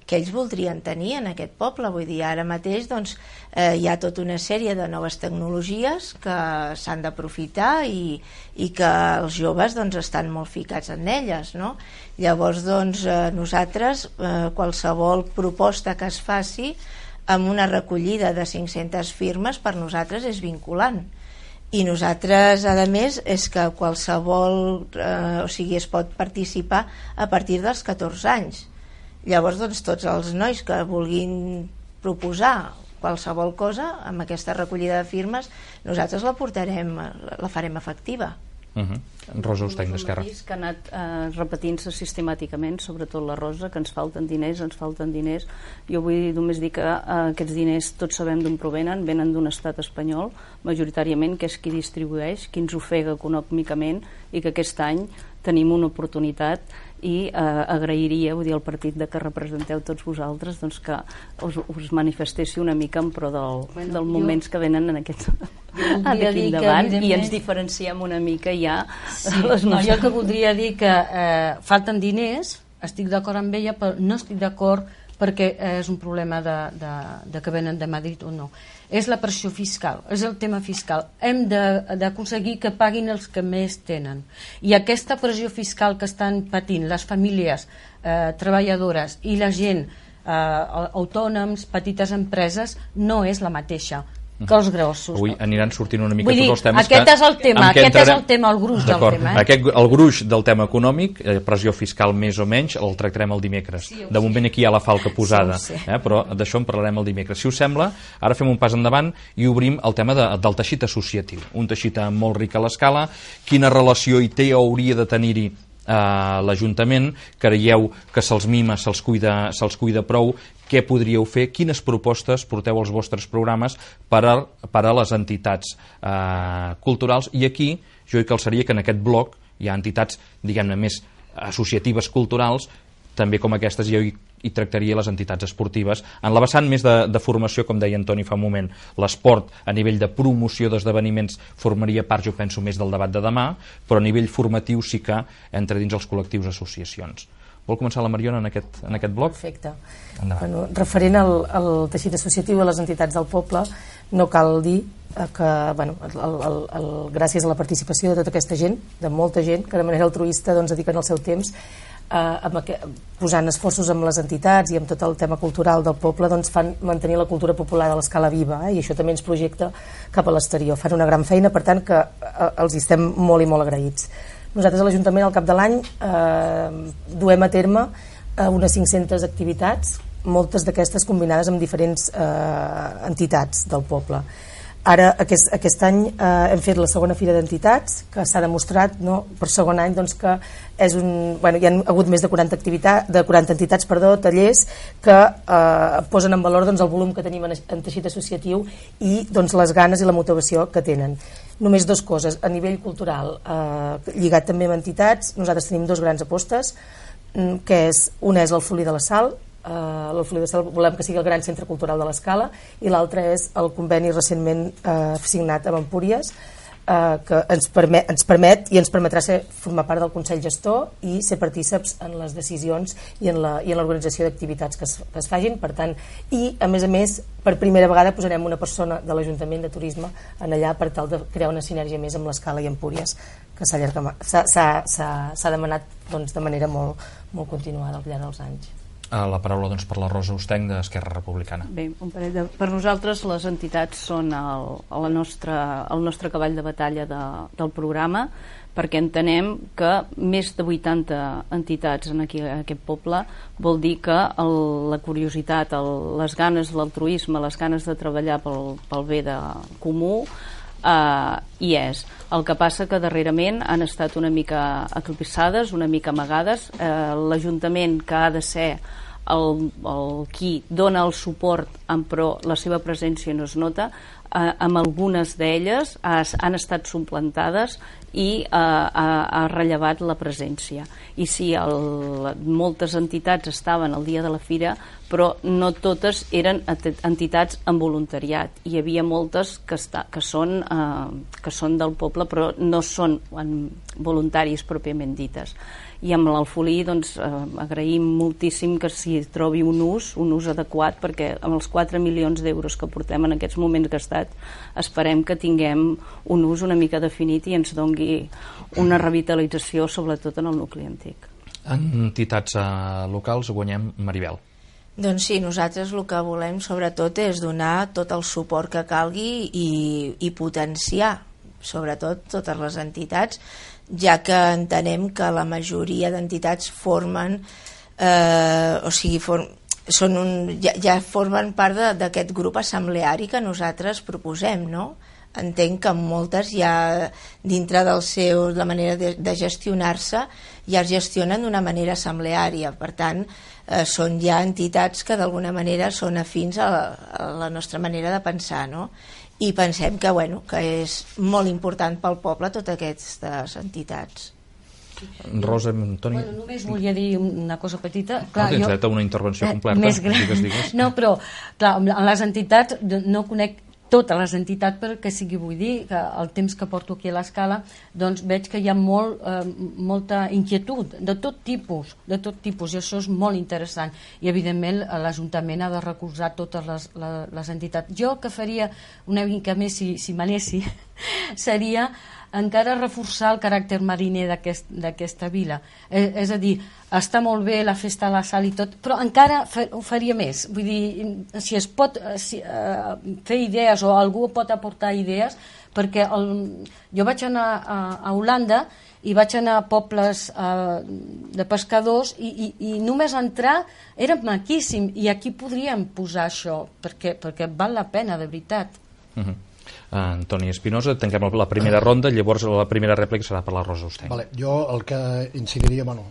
que ells voldrien tenir en aquest poble. Vull dir, ara mateix doncs, eh, hi ha tota una sèrie de noves tecnologies que s'han d'aprofitar i, i que els joves doncs, estan molt ficats en elles, no? Llavors doncs, eh, nosaltres eh, qualsevol proposta que es faci amb una recollida de cinc-centes firmes per nosaltres és vinculant. I nosaltres, a més, és que qualsevol, eh, o sigui, es pot participar a partir dels catorze anys. Llavors, doncs, tots els nois que vulguin proposar qualsevol cosa amb aquesta recollida de firmes, nosaltres la portarem, la farem efectiva.
Uh-huh. Rosa Ostany, d'Esquerra.
Que ha anat eh, repetint-se sistemàticament, sobretot la Rosa, que ens falten diners, ens falten diners. Jo vull només dir que eh, aquests diners tots sabem d'on provenen, venen d'un estat espanyol, majoritàriament, que és qui distribueix, qui ens ofega econòmicament, i que aquest any tenim una oportunitat i eh, agrairia, vull dir, al partit de que representeu tots vosaltres, doncs que us, us manifestéssiu una mica en pro del, bueno, dels moments jo, que venen en aquest d'aquí endavant i ens diferenciem una mica ja
sí, les no, jo que voldria dir que eh, falten diners, estic d'acord amb ella, però no estic d'acord perquè és un problema de, de, de que venen de Madrid o no. És la pressió fiscal, és el tema fiscal. Hem d'aconseguir que paguin els que més tenen. I aquesta pressió fiscal que estan patint les famílies eh, treballadores i la gent, eh, autònoms, petites empreses, no és la mateixa. que els grossos.
Avui aniran sortint una mica
Vull dir,
tots els temes
aquest
que,
és el tema, aquest entrarem... és el tema, el gruix del tema. Eh?
Aquest, el gruix del tema econòmic, eh, pressió fiscal més o menys, el tractarem el dimecres. Sí, de moment aquí hi ha la falca posada, sí, eh, però d'això en parlarem el dimecres. Si us sembla, ara fem un pas endavant i obrim el tema de, del teixit associatiu. Un teixit molt ric a l'escala, quina relació hi té o hauria de tenir-hi a l'Ajuntament, creieu que se'ls mima, se'ls cuida, se'ls cuida prou, què podríeu fer, quines propostes porteu als vostres programes per a, per a les entitats eh, culturals, i aquí jo hi calçaria que en aquest bloc hi ha entitats, diguem-ne, més associatives culturals, també com aquestes jo hi, hi tractaria les entitats esportives. En la vessant més de, de formació, com deia Antoni fa un moment, l'esport a nivell de promoció d'esdeveniments formaria part, jo penso, més del debat de demà, però a nivell formatiu sí que entra dins els col·lectius associacions. Vol començar la Mariona en aquest, en aquest bloc?
Perfecte. Bueno, referent al, al teixit associatiu a les entitats del poble, no cal dir que bueno, el, el, el, gràcies a la participació de tota aquesta gent, de molta gent, que de manera altruista doncs, dediquen el seu temps eh, amb aquest, posant esforços amb les entitats i amb tot el tema cultural del poble, doncs fan mantenir la cultura popular a l'escala viva, eh, i això també ens projecta cap a l'exterior. Fan una gran feina, per tant que eh, els estem molt i molt agraïts. Nosaltres a l'Ajuntament al cap de l'any eh, duem a terme eh, unes cinc-centes activitats, moltes d'aquestes combinades amb diferents eh, entitats del poble. Ara, aquest, aquest any eh, hem fet la segona fira d'entitats, que s'ha demostrat, no, per segon any, doncs, que és un, bueno, hi ha hagut més de quaranta, activitats, de quaranta entitats, perdó, tallers, que eh, posen en valor doncs, el volum que tenim en, en teixit associatiu i doncs, les ganes i la motivació que tenen. Només dues coses. A nivell cultural, eh, lligat també amb entitats, nosaltres tenim dos grans apostes, que és, una és l'Alfolí de la Sal. Uh, l'Alfolí de Sal volem que sigui el gran centre cultural de l'Escala, i l'altre és el conveni recentment uh, signat amb Empúries, uh, que ens permet, ens permet i ens permetrà ser, formar part del Consell Gestor i ser partíceps en les decisions i en la, i en l'organització d'activitats que, es, que es facin. Per tant, i a més a més, per primera vegada posarem una persona de l'Ajuntament de Turisme en allà per tal de crear una sinergia més amb l'Escala i Empúries, que s'ha demanat doncs, de manera molt, molt continuada al llarg dels anys.
La paraula doncs, per la Rosa Ustenc d'Esquerra Republicana.
Bé, un parell de... per nosaltres les entitats són el, el, nostre, el nostre cavall de batalla de, del programa, perquè entenem que més de vuitanta entitats en aquí, en aquest poble vol dir que el, la curiositat, el, les ganes, l'altruisme, les ganes de treballar pel, pel bé de comú Uh, hi és. El que passa que darrerament han estat una mica eclipsades, una mica amagades. Uh, l'Ajuntament, que ha de ser el, el qui dona el suport, en pro la seva presència no es nota, uh, amb algunes d'elles han estat suplantades i uh, ha, ha rellevat la presència. I sí, el, moltes entitats estaven el dia de la fira, però no totes eren entitats en voluntariat. Hi havia moltes que, està, que, són, eh, que són del poble, però no són voluntaris pròpiament dites. I amb l'Alfolí doncs, eh, agraïm moltíssim que s'hi trobi un ús, un ús adequat, perquè amb els quatre milions d'euros que portem en aquests moments gastat, esperem que tinguem un ús una mica definit i ens dongui una revitalització, sobretot en el nucli antic.
En entitats eh, locals guanyem, Maribel.
Doncs sí, nosaltres el que volem sobretot és donar tot el suport que calgui i, i potenciar sobretot totes les entitats, ja que entenem que la majoria d'entitats formen eh, o sigui form, són un, ja, ja formen part d'aquest grup assembleari que nosaltres proposem, no? Entenc que moltes ja dintre del seu, la manera de, de gestionar-se ja es gestionen d'una manera assembleària, per tant eh, són ja entitats que d'alguna manera són afins a la, a la nostra manera de pensar, no? I pensem que, bueno, que és molt important pel poble totes aquestes entitats.
Rosa, Antoni...
Bueno, només volia dir una cosa petita.
Clar, no, tens dret a una intervenció completa.
Més gran.
Digues, digues.
No, però clar, en les entitats no conec totes les entitats, perquè sigui, vull dir que el temps que porto aquí a l'Escala doncs veig que hi ha molt, eh, molta inquietud de tot tipus, de tot tipus, i això és molt interessant, i evidentment l'Ajuntament ha de recolzar totes les, les, les entitats. Jo que faria una mica més, si, si m'anessi, seria encara reforçar el caràcter mariner d'aquesta vila. És, és a dir, està molt bé la festa a la sal i tot, però encara ho faria més. Vull dir, si es pot si, uh, fer idees o algú pot aportar idees, perquè el, jo vaig anar a, a Holanda i vaig anar a pobles uh, de pescadors i, i, i només entrar era maquíssim, i aquí podríem posar això, perquè, perquè val la pena, de veritat.
Uh-huh. uh, Antoni Espinosa, tanquem la primera ronda, llavors la primera rèplica serà per la Rosa Ostenc.
Vale, jo el que incidiria, bueno,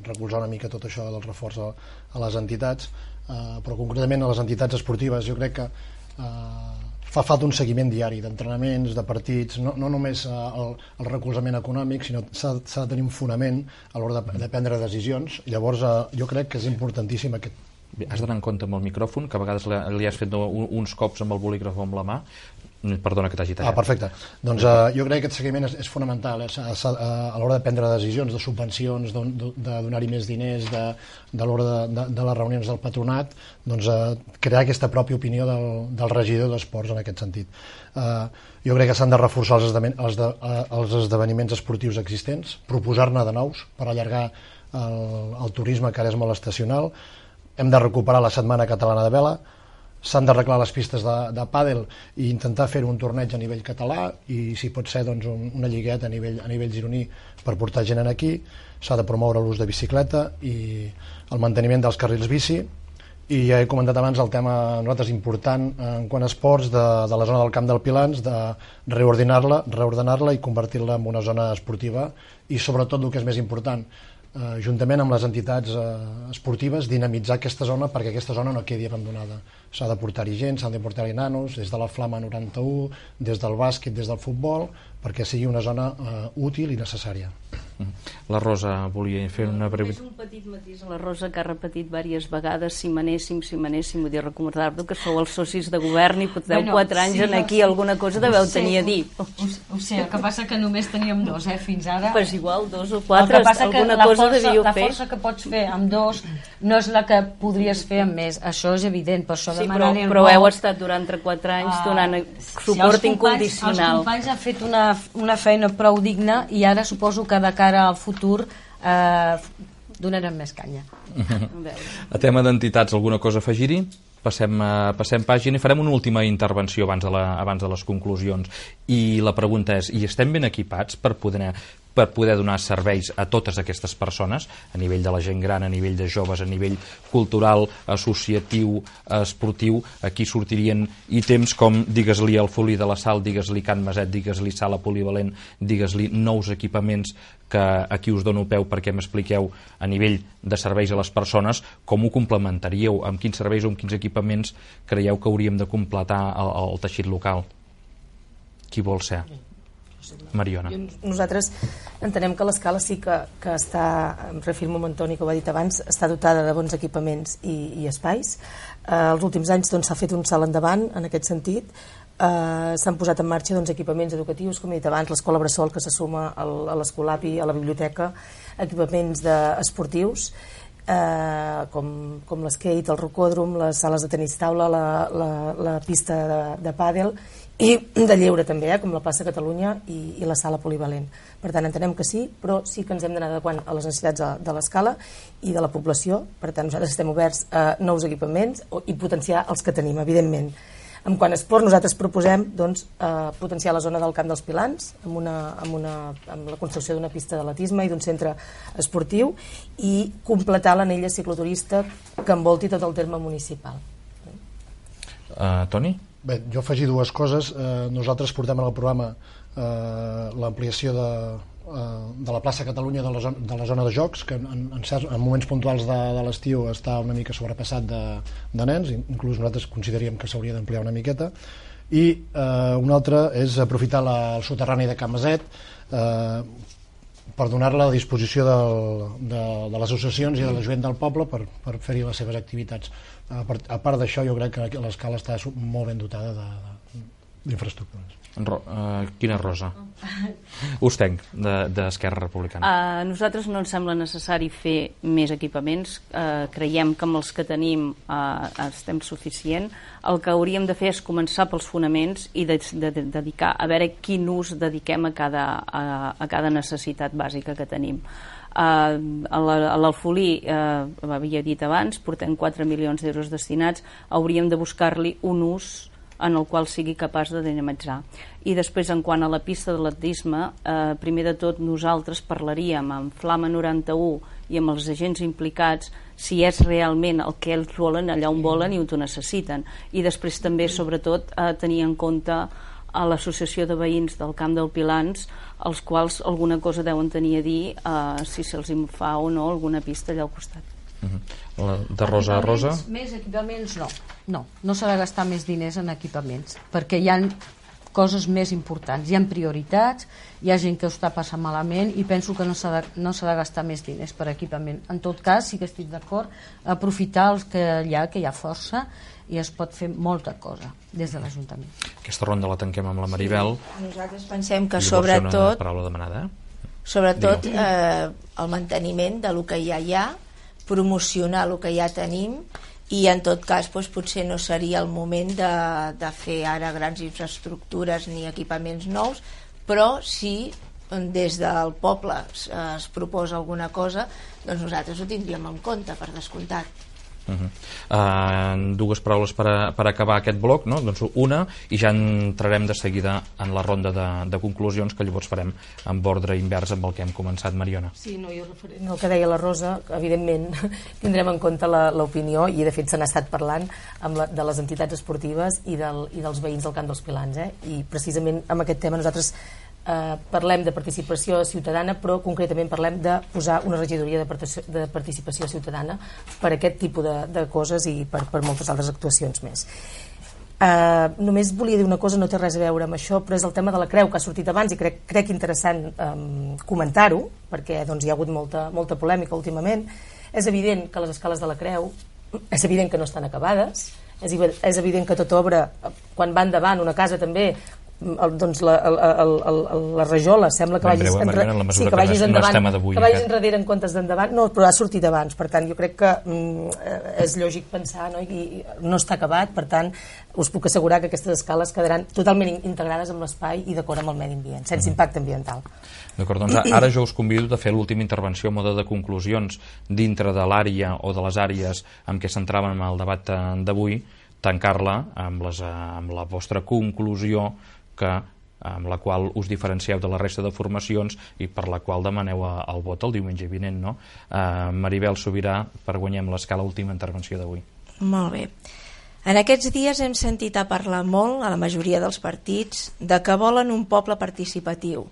recolzar una mica tot això del reforç a, a les entitats, uh, però concretament a les entitats esportives, jo crec que uh, fa falta un seguiment diari d'entrenaments, de partits, no, no només el, el recolzament econòmic, sinó s'ha de tenir un fonament a l'hora de, de prendre decisions. Llavors, eh, jo crec que és importantíssim aquest...
Bé, has d'anar en compte amb el micròfon, que a vegades li, li has fet uns cops amb el bolígraf o amb la mà. Perdona que t'hagi tallat.
Ah, perfecte. Doncs uh, jo crec que aquest seguiment és, és fonamental, eh? a, a, a l'hora de prendre decisions, de subvencions, de, de, de donar-hi més diners, de, de l'hora de, de, de les reunions del patronat, doncs uh, crear aquesta pròpia opinió del, del regidor d'esports en aquest sentit. Uh, jo crec que s'han de reforçar els, esdeven, els, de, uh, els esdeveniments esportius existents, proposar-ne de nous per allargar el, el turisme, que ara és molt estacional. Hem de recuperar la Setmana Catalana de Vela, s'han d'arreglar les pistes de, de pàdel i intentar fer un torneig a nivell català i, si pot ser, doncs, un, una lligueta a nivell, a nivell gironí per portar gent aquí. S'ha de promoure l'ús de bicicleta i el manteniment dels carrils bici, i ja he comentat abans el tema nosaltres important en quant a esports de, de la zona del Camp del Pilans, de reordenar-la reordenar-la i convertir-la en una zona esportiva, i sobretot el que és més important, eh, juntament amb les entitats eh, esportives, dinamitzar aquesta zona perquè aquesta zona no quedi abandonada. S'ha de portar-hi gent, s'han de portar-hi nanos, des de la Flama noranta-u, des del bàsquet, des del futbol, perquè sigui una zona eh, útil i necessària.
La Rosa volia fer una breu...
És un petit matís a la Rosa, que ha repetit diverses vegades: si manéssim, si manéssim. Vull dir, recordar-vos que sou els socis de govern i porteu bueno, quatre anys sí, en aquí, sí. Alguna cosa deveu tenir a dir.
Ho, ho sé, el que passa que només teníem dos, eh, fins ara.
Pues igual, dos o quatre, alguna cosa
força,
devíeu
la
fer.
La força que pots fer amb dos no és la que podries fer amb més, això és evident, per això
sí,
demanar
però, però heu estat durant quatre anys uh, donant suport si incondicional.
Els companys han fet una, una feina prou digna, i ara suposo que de cara al futur eh, donarem més canya.
A tema d'entitats, alguna cosa a afegir-hi? Passem, uh, passem pàgina i farem una última intervenció abans de, la, abans de les conclusions. I la pregunta és, i estem ben equipats per poder, per poder donar serveis a totes aquestes persones, a nivell de la gent gran, a nivell de joves, a nivell cultural, associatiu, esportiu? Aquí sortirien ítems com, digues-li el Folí de la Sal, digues-li Can Maset, digues-li Sala Polivalent, digues-li nous equipaments, que aquí us dono peu perquè m'expliqueu a nivell de serveis a les persones com ho complementaríeu, amb quins serveis o amb quins equipaments creieu que hauríem de completar el, el teixit local. Qui vol ser? Mariona.
Nosaltres entenem que l'escala sí que, que està, em refirmo amb Antoni, que ho ha dit abans, està dotada de bons equipaments i, i espais. Eh, els últims anys doncs, s'ha fet un salt endavant en aquest sentit. Uh, s'han posat en marxa doncs, equipaments educatius, com he dit abans, l'escola Bressol, que se suma al, a l'Escolapi, a la biblioteca, equipaments de, esportius, uh, com, com l'skate, el rocòdrom, les sales de tenis taula, la, la, la pista de, de pàdel, i de lleure també, eh, com la plaça Catalunya i, i la sala polivalent. Per tant, entenem que sí, però sí que ens hem d'anar adequant a les necessitats de, de l'escala i de la població. Per tant, nosaltres estem oberts a nous equipaments i potenciar els que tenim, evidentment. En quant a esport, nosaltres proposem doncs, eh, potenciar la zona del Camp dels Pilans amb, una, amb, una, amb la construcció d'una pista d'atletisme i d'un centre esportiu, i completar l'anella cicloturista que envolti tot el terme municipal.
Uh, Toni?
Bé, jo afegir dues coses. Eh, nosaltres portem en el programa eh, l'ampliació de, eh, de la plaça Catalunya de la zona de, la zona de jocs, que en, en, certs, en moments puntuals de, de l'estiu està una mica sobrepassat de, de nens, inclús nosaltres consideríem que s'hauria d'ampliar una miqueta. I eh, una altra és aprofitar la, el soterrani de Can Maset eh, per donar-la a disposició del, de, de les associacions i de la gent del poble per, per fer-hi les seves activitats. A part, a part d'això, jo crec que l'escala està molt ben dotada de, de, d'infraestructures.
Ro, uh, quina rosa? Ustenc, d'Esquerra Republicana.
A nosaltres no ens sembla necessari fer més equipaments. Uh, creiem que amb els que tenim uh, estem suficient. El que hauríem de fer és començar pels fonaments i de, de, de dedicar, a veure quin ús dediquem a cada, a, a cada necessitat bàsica que tenim. Uh, a l'Alfolí, uh, havia dit abans, portem quatre milions d'euros destinats, hauríem de buscar-li un ús en el qual sigui capaç de dinamitzar. I després, en quant a la pista d'atletisme, eh, primer de tot nosaltres parlaríem amb Flama noranta-u i amb els agents implicats si és realment el que ells volen, allà on volen i on ho necessiten. I després també, sobretot, eh, tenir en compte a l'associació de veïns del Camp del Pilans, els quals alguna cosa deuen tenir a dir eh, si se'ls fa o no alguna pista allà al costat.
Uh-huh. La, de rosa a rosa?
Més equipaments no. No, no s'ha de gastar més diners en equipaments, perquè hi ha coses més importants, hi ha prioritats, hi ha gent que ho està passant malament i penso que no s'ha de, no s'ha de gastar més diners per equipament. En tot cas, sí que estic d'acord, aprofitar els que hi ha, que hi ha força i es pot fer molta cosa des de l'Ajuntament.
Aquesta ronda la tanquem amb la Maribel.
Sí, nosaltres pensem que
sobretot...
sobretot,
paraula demanada, eh?
sobretot eh, el manteniment de lo que ja hi ha, promocionar el que ja tenim i en tot cas doncs, potser no seria el moment de, de fer ara grans infraestructures ni equipaments nous, però si des del poble es, es proposa alguna cosa, doncs nosaltres ho tindríem en compte, per descomptat.
Uh-huh. Uh, dues paraules per, a, per acabar aquest bloc, no? Doncs una, i ja entrarem de seguida en la ronda de, de conclusions que llavors farem amb ordre invers amb el que hem començat, Mariona.
Sí, no, jo referent al que deia la Rosa, evidentment tindrem en compte l'opinió i de fet se n'ha estat parlant amb la, de les entitats esportives i, del, i dels veïns del Camp dels Pilans, eh? I precisament amb aquest tema nosaltres Eh, parlem de participació ciutadana, però concretament parlem de posar una regidoria de, participació, de participació ciutadana per aquest tipus de, de coses i per, per moltes altres actuacions més. Eh, només volia dir una cosa, no té res a veure amb això, però és el tema de la creu que ha sortit abans i crec, crec interessant eh, comentar-ho, perquè doncs, hi ha hagut molta, molta polèmica últimament. És evident que les escales de la creu és evident que no estan acabades, és, és evident que tota obra, quan va endavant una casa també, el, doncs la, el, el, el, la rajola sembla que vagis,
breu,
enre...
Mariana,
sí, que vagis endavant, que vagis enrere en comptes d'endavant, no, però ha sortit abans, per tant jo crec que mm, és lògic pensar, no? I, i no està acabat, per tant us puc assegurar que aquestes escales quedaran totalment integrades amb l'espai i d'acord amb el medi ambient, sense mm. impacte ambiental.
D'acord, doncs ara jo us convido a fer l'última intervenció a mode de conclusions dintre de l'àrea o de les àrees amb què centràvem en el debat d'avui, tancar-la amb, les, amb la vostra conclusió que, amb la qual us diferencieu de la resta de formacions i per la qual demaneu el vot el diumenge vinent, no? Uh, Maribel Sobirà, per Guanyem l'Escala, última intervenció d'avui.
Molt bé. En aquests dies hem sentit a parlar molt, a la majoria dels partits, de que volen un poble participatiu,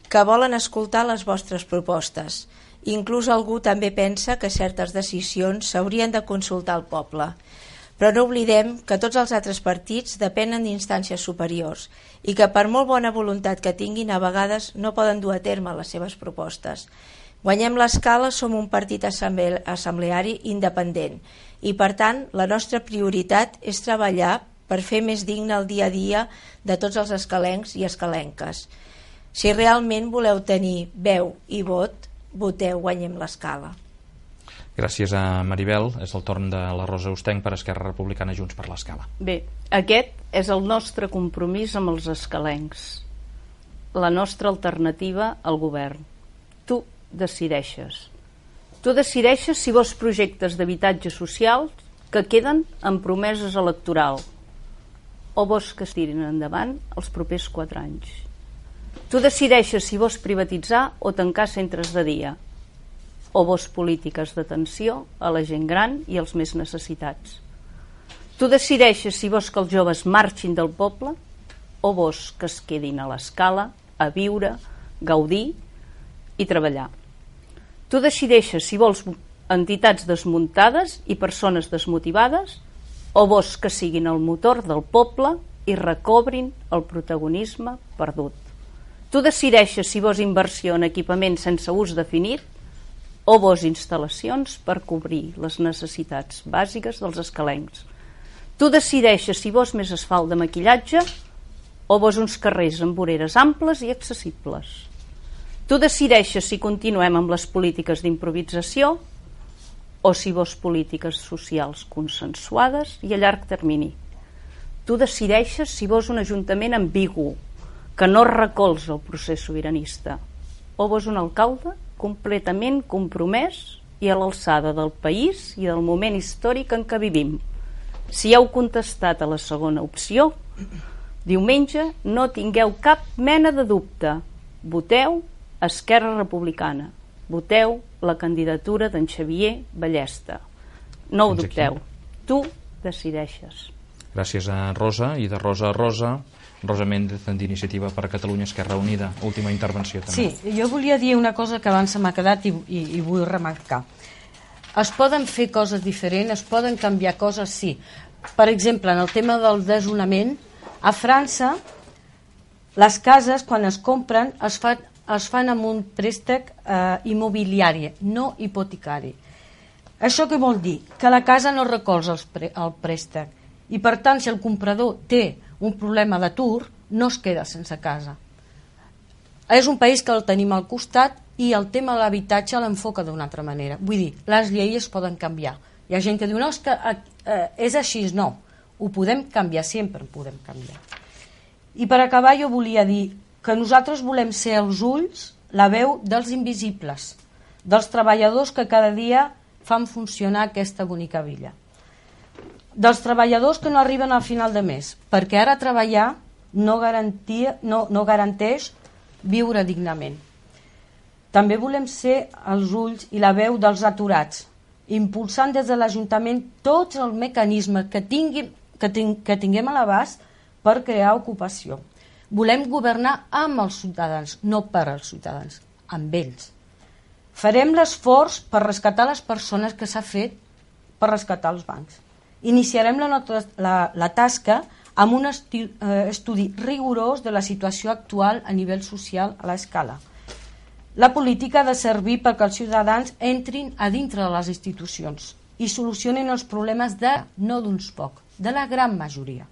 que volen escoltar les vostres propostes. Inclús algú també pensa que certes decisions s'haurien de consultar al poble. Però no oblidem que tots els altres partits depenen d'instàncies superiors i que per molt bona voluntat que tinguin a vegades no poden dur a terme les seves propostes. Guanyem l'Escala som un partit assemble assembleari independent i per tant la nostra prioritat és treballar per fer més digne el dia a dia de tots els escalencs i escalenques. Si realment voleu tenir veu i vot, voteu Guanyem l'Escala.
Gràcies a Maribel. És el torn de la Rosa Ustenc per Esquerra Republicana Junts per l'Escala.
Bé, aquest és el nostre compromís amb els escalencs, la nostra alternativa al govern. Tu decideixes. Tu decideixes si vols projectes d'habitatge social que queden en promeses electorals o vols que es tirin endavant els propers quatre anys. Tu decideixes si vols privatitzar o tancar centres de dia o vols polítiques d'atenció a la gent gran i als més necessitats. Tu decideixes si vols que els joves marxin del poble o vols que es quedin a l'Escala a viure, gaudir i treballar. Tu decideixes si vols entitats desmuntades i persones desmotivades o vols que siguin el motor del poble i recobrin el protagonisme perdut. Tu decideixes si vols inversió en equipaments sense ús definit o vols instal·lacions per cobrir les necessitats bàsiques dels escalencs. Tu decideixes si vols més asfalt de maquillatge o vols uns carrers amb voreres amples i accessibles? Tu decideixes si continuem amb les polítiques d'improvisació o si vols polítiques socials consensuades i a llarg termini. Tu decideixes si vols un ajuntament ambigu, que no recolza el procés sobiranista, o vols un alcalde completament compromès i a l'alçada del país i del moment històric en què vivim. Si heu contestat a la segona opció, diumenge no tingueu cap mena de dubte. Voteu Esquerra Republicana. Voteu la candidatura d'en Xavier Ballesta. No ho dubteu. Tu decideixes.
Gràcies a Rosa, i de Rosa a Rosa, Rosa Méndez, d'Iniciativa per Catalunya Esquerra Unida. Última intervenció també.
Sí, jo volia dir una cosa que abans se m'ha quedat i, i, i vull remarcar. Es poden fer coses diferents, es poden canviar coses, sí. Per exemple, en el tema del desnonament, a França les cases quan es compren es fan, es fan amb un préstec eh, immobiliari, no hipotecari. Això què vol dir? Que la casa no recolza el, pré el préstec i per tant si el comprador té un problema d'atur no es queda sense casa. És un país que el tenim al costat i el tema de l'habitatge l'enfoca d'una altra manera. Vull dir, les lleis es poden canviar. Hi ha gent que diu, no, és que eh, és així, no. Ho podem canviar, sempre ho podem canviar. I per acabar jo volia dir que nosaltres volem ser els ulls, la veu dels invisibles, dels treballadors que cada dia fan funcionar aquesta bonica villa. Dels treballadors que no arriben al final de mes, perquè ara treballar no, garantia, no, no garanteix viure dignament. També volem ser els ulls i la veu dels aturats, impulsant des de l'Ajuntament tots els mecanismes que, tinguin, que, ting, que tinguem a l'abast per crear ocupació. Volem governar amb els ciutadans, no per als ciutadans, amb ells. Farem l'esforç per rescatar les persones que s'ha fet per rescatar els bancs. Iniciarem la, la, la tasca amb un esti, eh, estudi rigorós de la situació actual a nivell social a l'escala. La política ha de servir perquè els ciutadans entrin a dintre de les institucions i solucionin els problemes de, no d'uns pocs, de la gran majoria.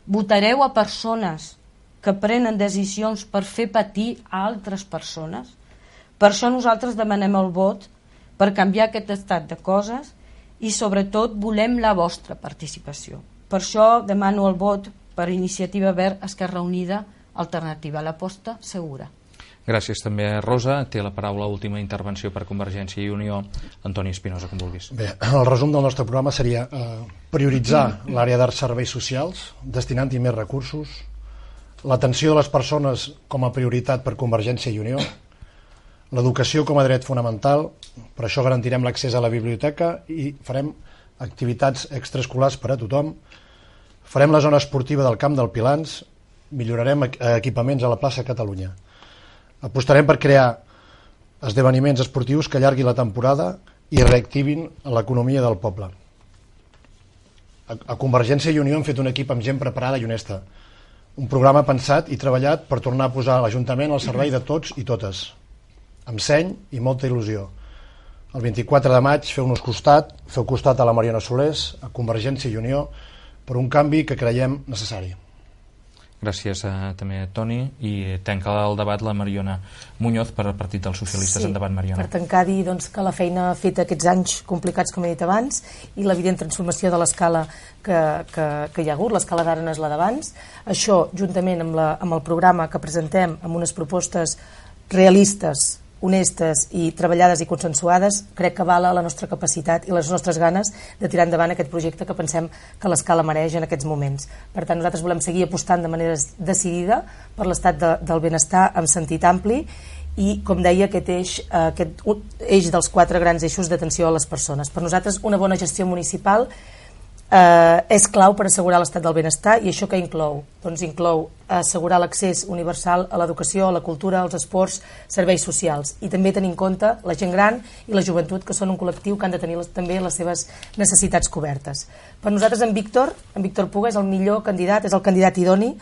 Votareu a persones que prenen decisions per fer patir a altres persones. Per això nosaltres demanem el vot per canviar aquest estat de coses i sobretot volem la vostra participació. Per això demano el vot per Iniciativa Verd Esquerra Unida Alternativa, l'aposta segura.
Gràcies també a Rosa. Té la paraula, última intervenció per Convergència i Unió. Antoni Espinosa, com vulguis.
Bé, el resum del nostre programa seria eh, prioritzar l'àrea d'arts serveis socials, destinant-hi més recursos, l'atenció de les persones com a prioritat per Convergència i Unió, l'educació com a dret fonamental, per això garantirem l'accés a la biblioteca i farem activitats extraescolars per a tothom, farem la zona esportiva del Camp del Pilans, millorarem equipaments a la plaça Catalunya. Apostarem per crear esdeveniments esportius que allarguin la temporada i reactivin l'economia del poble. A Convergència i Unió hem fet un equip amb gent preparada i honesta, un programa pensat i treballat per tornar a posar l'Ajuntament al servei de tots i totes, amb seny i molta il·lusió. El vint-i-quatre de maig feu-nos costat, feu costat a la Mariona Solés, a Convergència i Unió, per un canvi que creiem necessari.
Gràcies a, també a Toni, i tanca el debat la Mariona Muñoz per al Partit dels Socialistes.
Sí,
endavant, Mariona.
Per tancar, dir doncs, que la feina feta aquests anys complicats, com he dit abans, i l'evident transformació de l'escala que, que, que hi ha hagut, l'escala d'ara no és la d'abans, això, juntament amb, la, amb el programa que presentem, amb unes propostes realistes, honestes i treballades i consensuades, crec que avala la nostra capacitat i les nostres ganes de tirar endavant aquest projecte que pensem que l'escala mereix en aquests moments. Per tant, nosaltres volem seguir apostant de manera decidida per l'estat de, del benestar en sentit ampli i, com deia, aquest eix, aquest eix dels quatre grans eixos d'atenció a les persones. Per nosaltres, una bona gestió municipal eh, és clau per assegurar l'estat del benestar. I això què inclou? Doncs inclou assegurar l'accés universal a l'educació, a la cultura, als esports, serveis socials, i també tenir en compte la gent gran i la joventut, que són un col·lectiu que han de tenir les, també les seves necessitats cobertes. Per nosaltres en Víctor, en Víctor Puga és el millor candidat, és el candidat idoni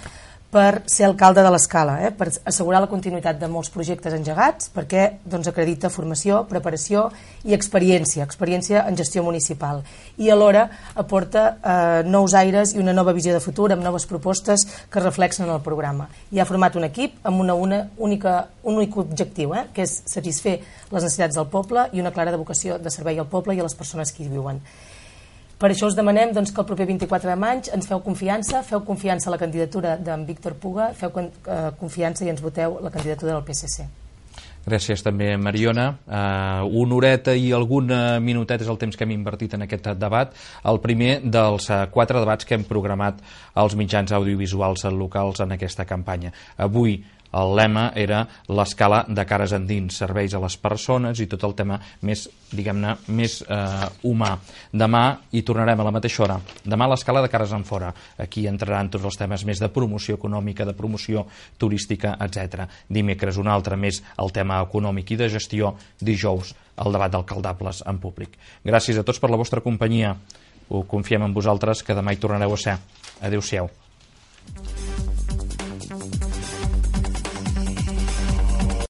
per ser alcalde de l'Escala, eh? per assegurar la continuïtat de molts projectes engegats, perquè doncs, acredita formació, preparació i experiència, experiència en gestió municipal. I alhora aporta eh, nous aires i una nova visió de futur amb noves propostes que reflexen en el programa. I ha format un equip amb una, una única, un únic objectiu, eh? que és satisfer les necessitats del poble i una clara vocació de servei al poble i a les persones que hi viuen. Per això us demanem doncs, que el proper vint-i-quatre de maig ens feu confiança, feu confiança a la candidatura d'en Víctor Puga, feu eh, confiança i ens voteu la candidatura del P S C.
Gràcies també, Mariona. Uh, una horeta i algun minutet és el temps que hem invertit en aquest debat. El primer dels uh, quatre debats que hem programat als mitjans audiovisuals locals en aquesta campanya. Avui el lema era l'escala de cares endins, serveis a les persones i tot el tema més, diguem-ne, més eh, humà. Demà hi tornarem a la mateixa hora. Demà l'escala de cares enfora. Aquí entraran tots els temes més de promoció econòmica, de promoció turística, etcètera. Dimecres un altre més el tema econòmic i de gestió. Dijous el debat d'alcaldables en públic. Gràcies a tots per la vostra companyia. Ho confiem en vosaltres, que demà hi tornareu a ser. Adéu-siau.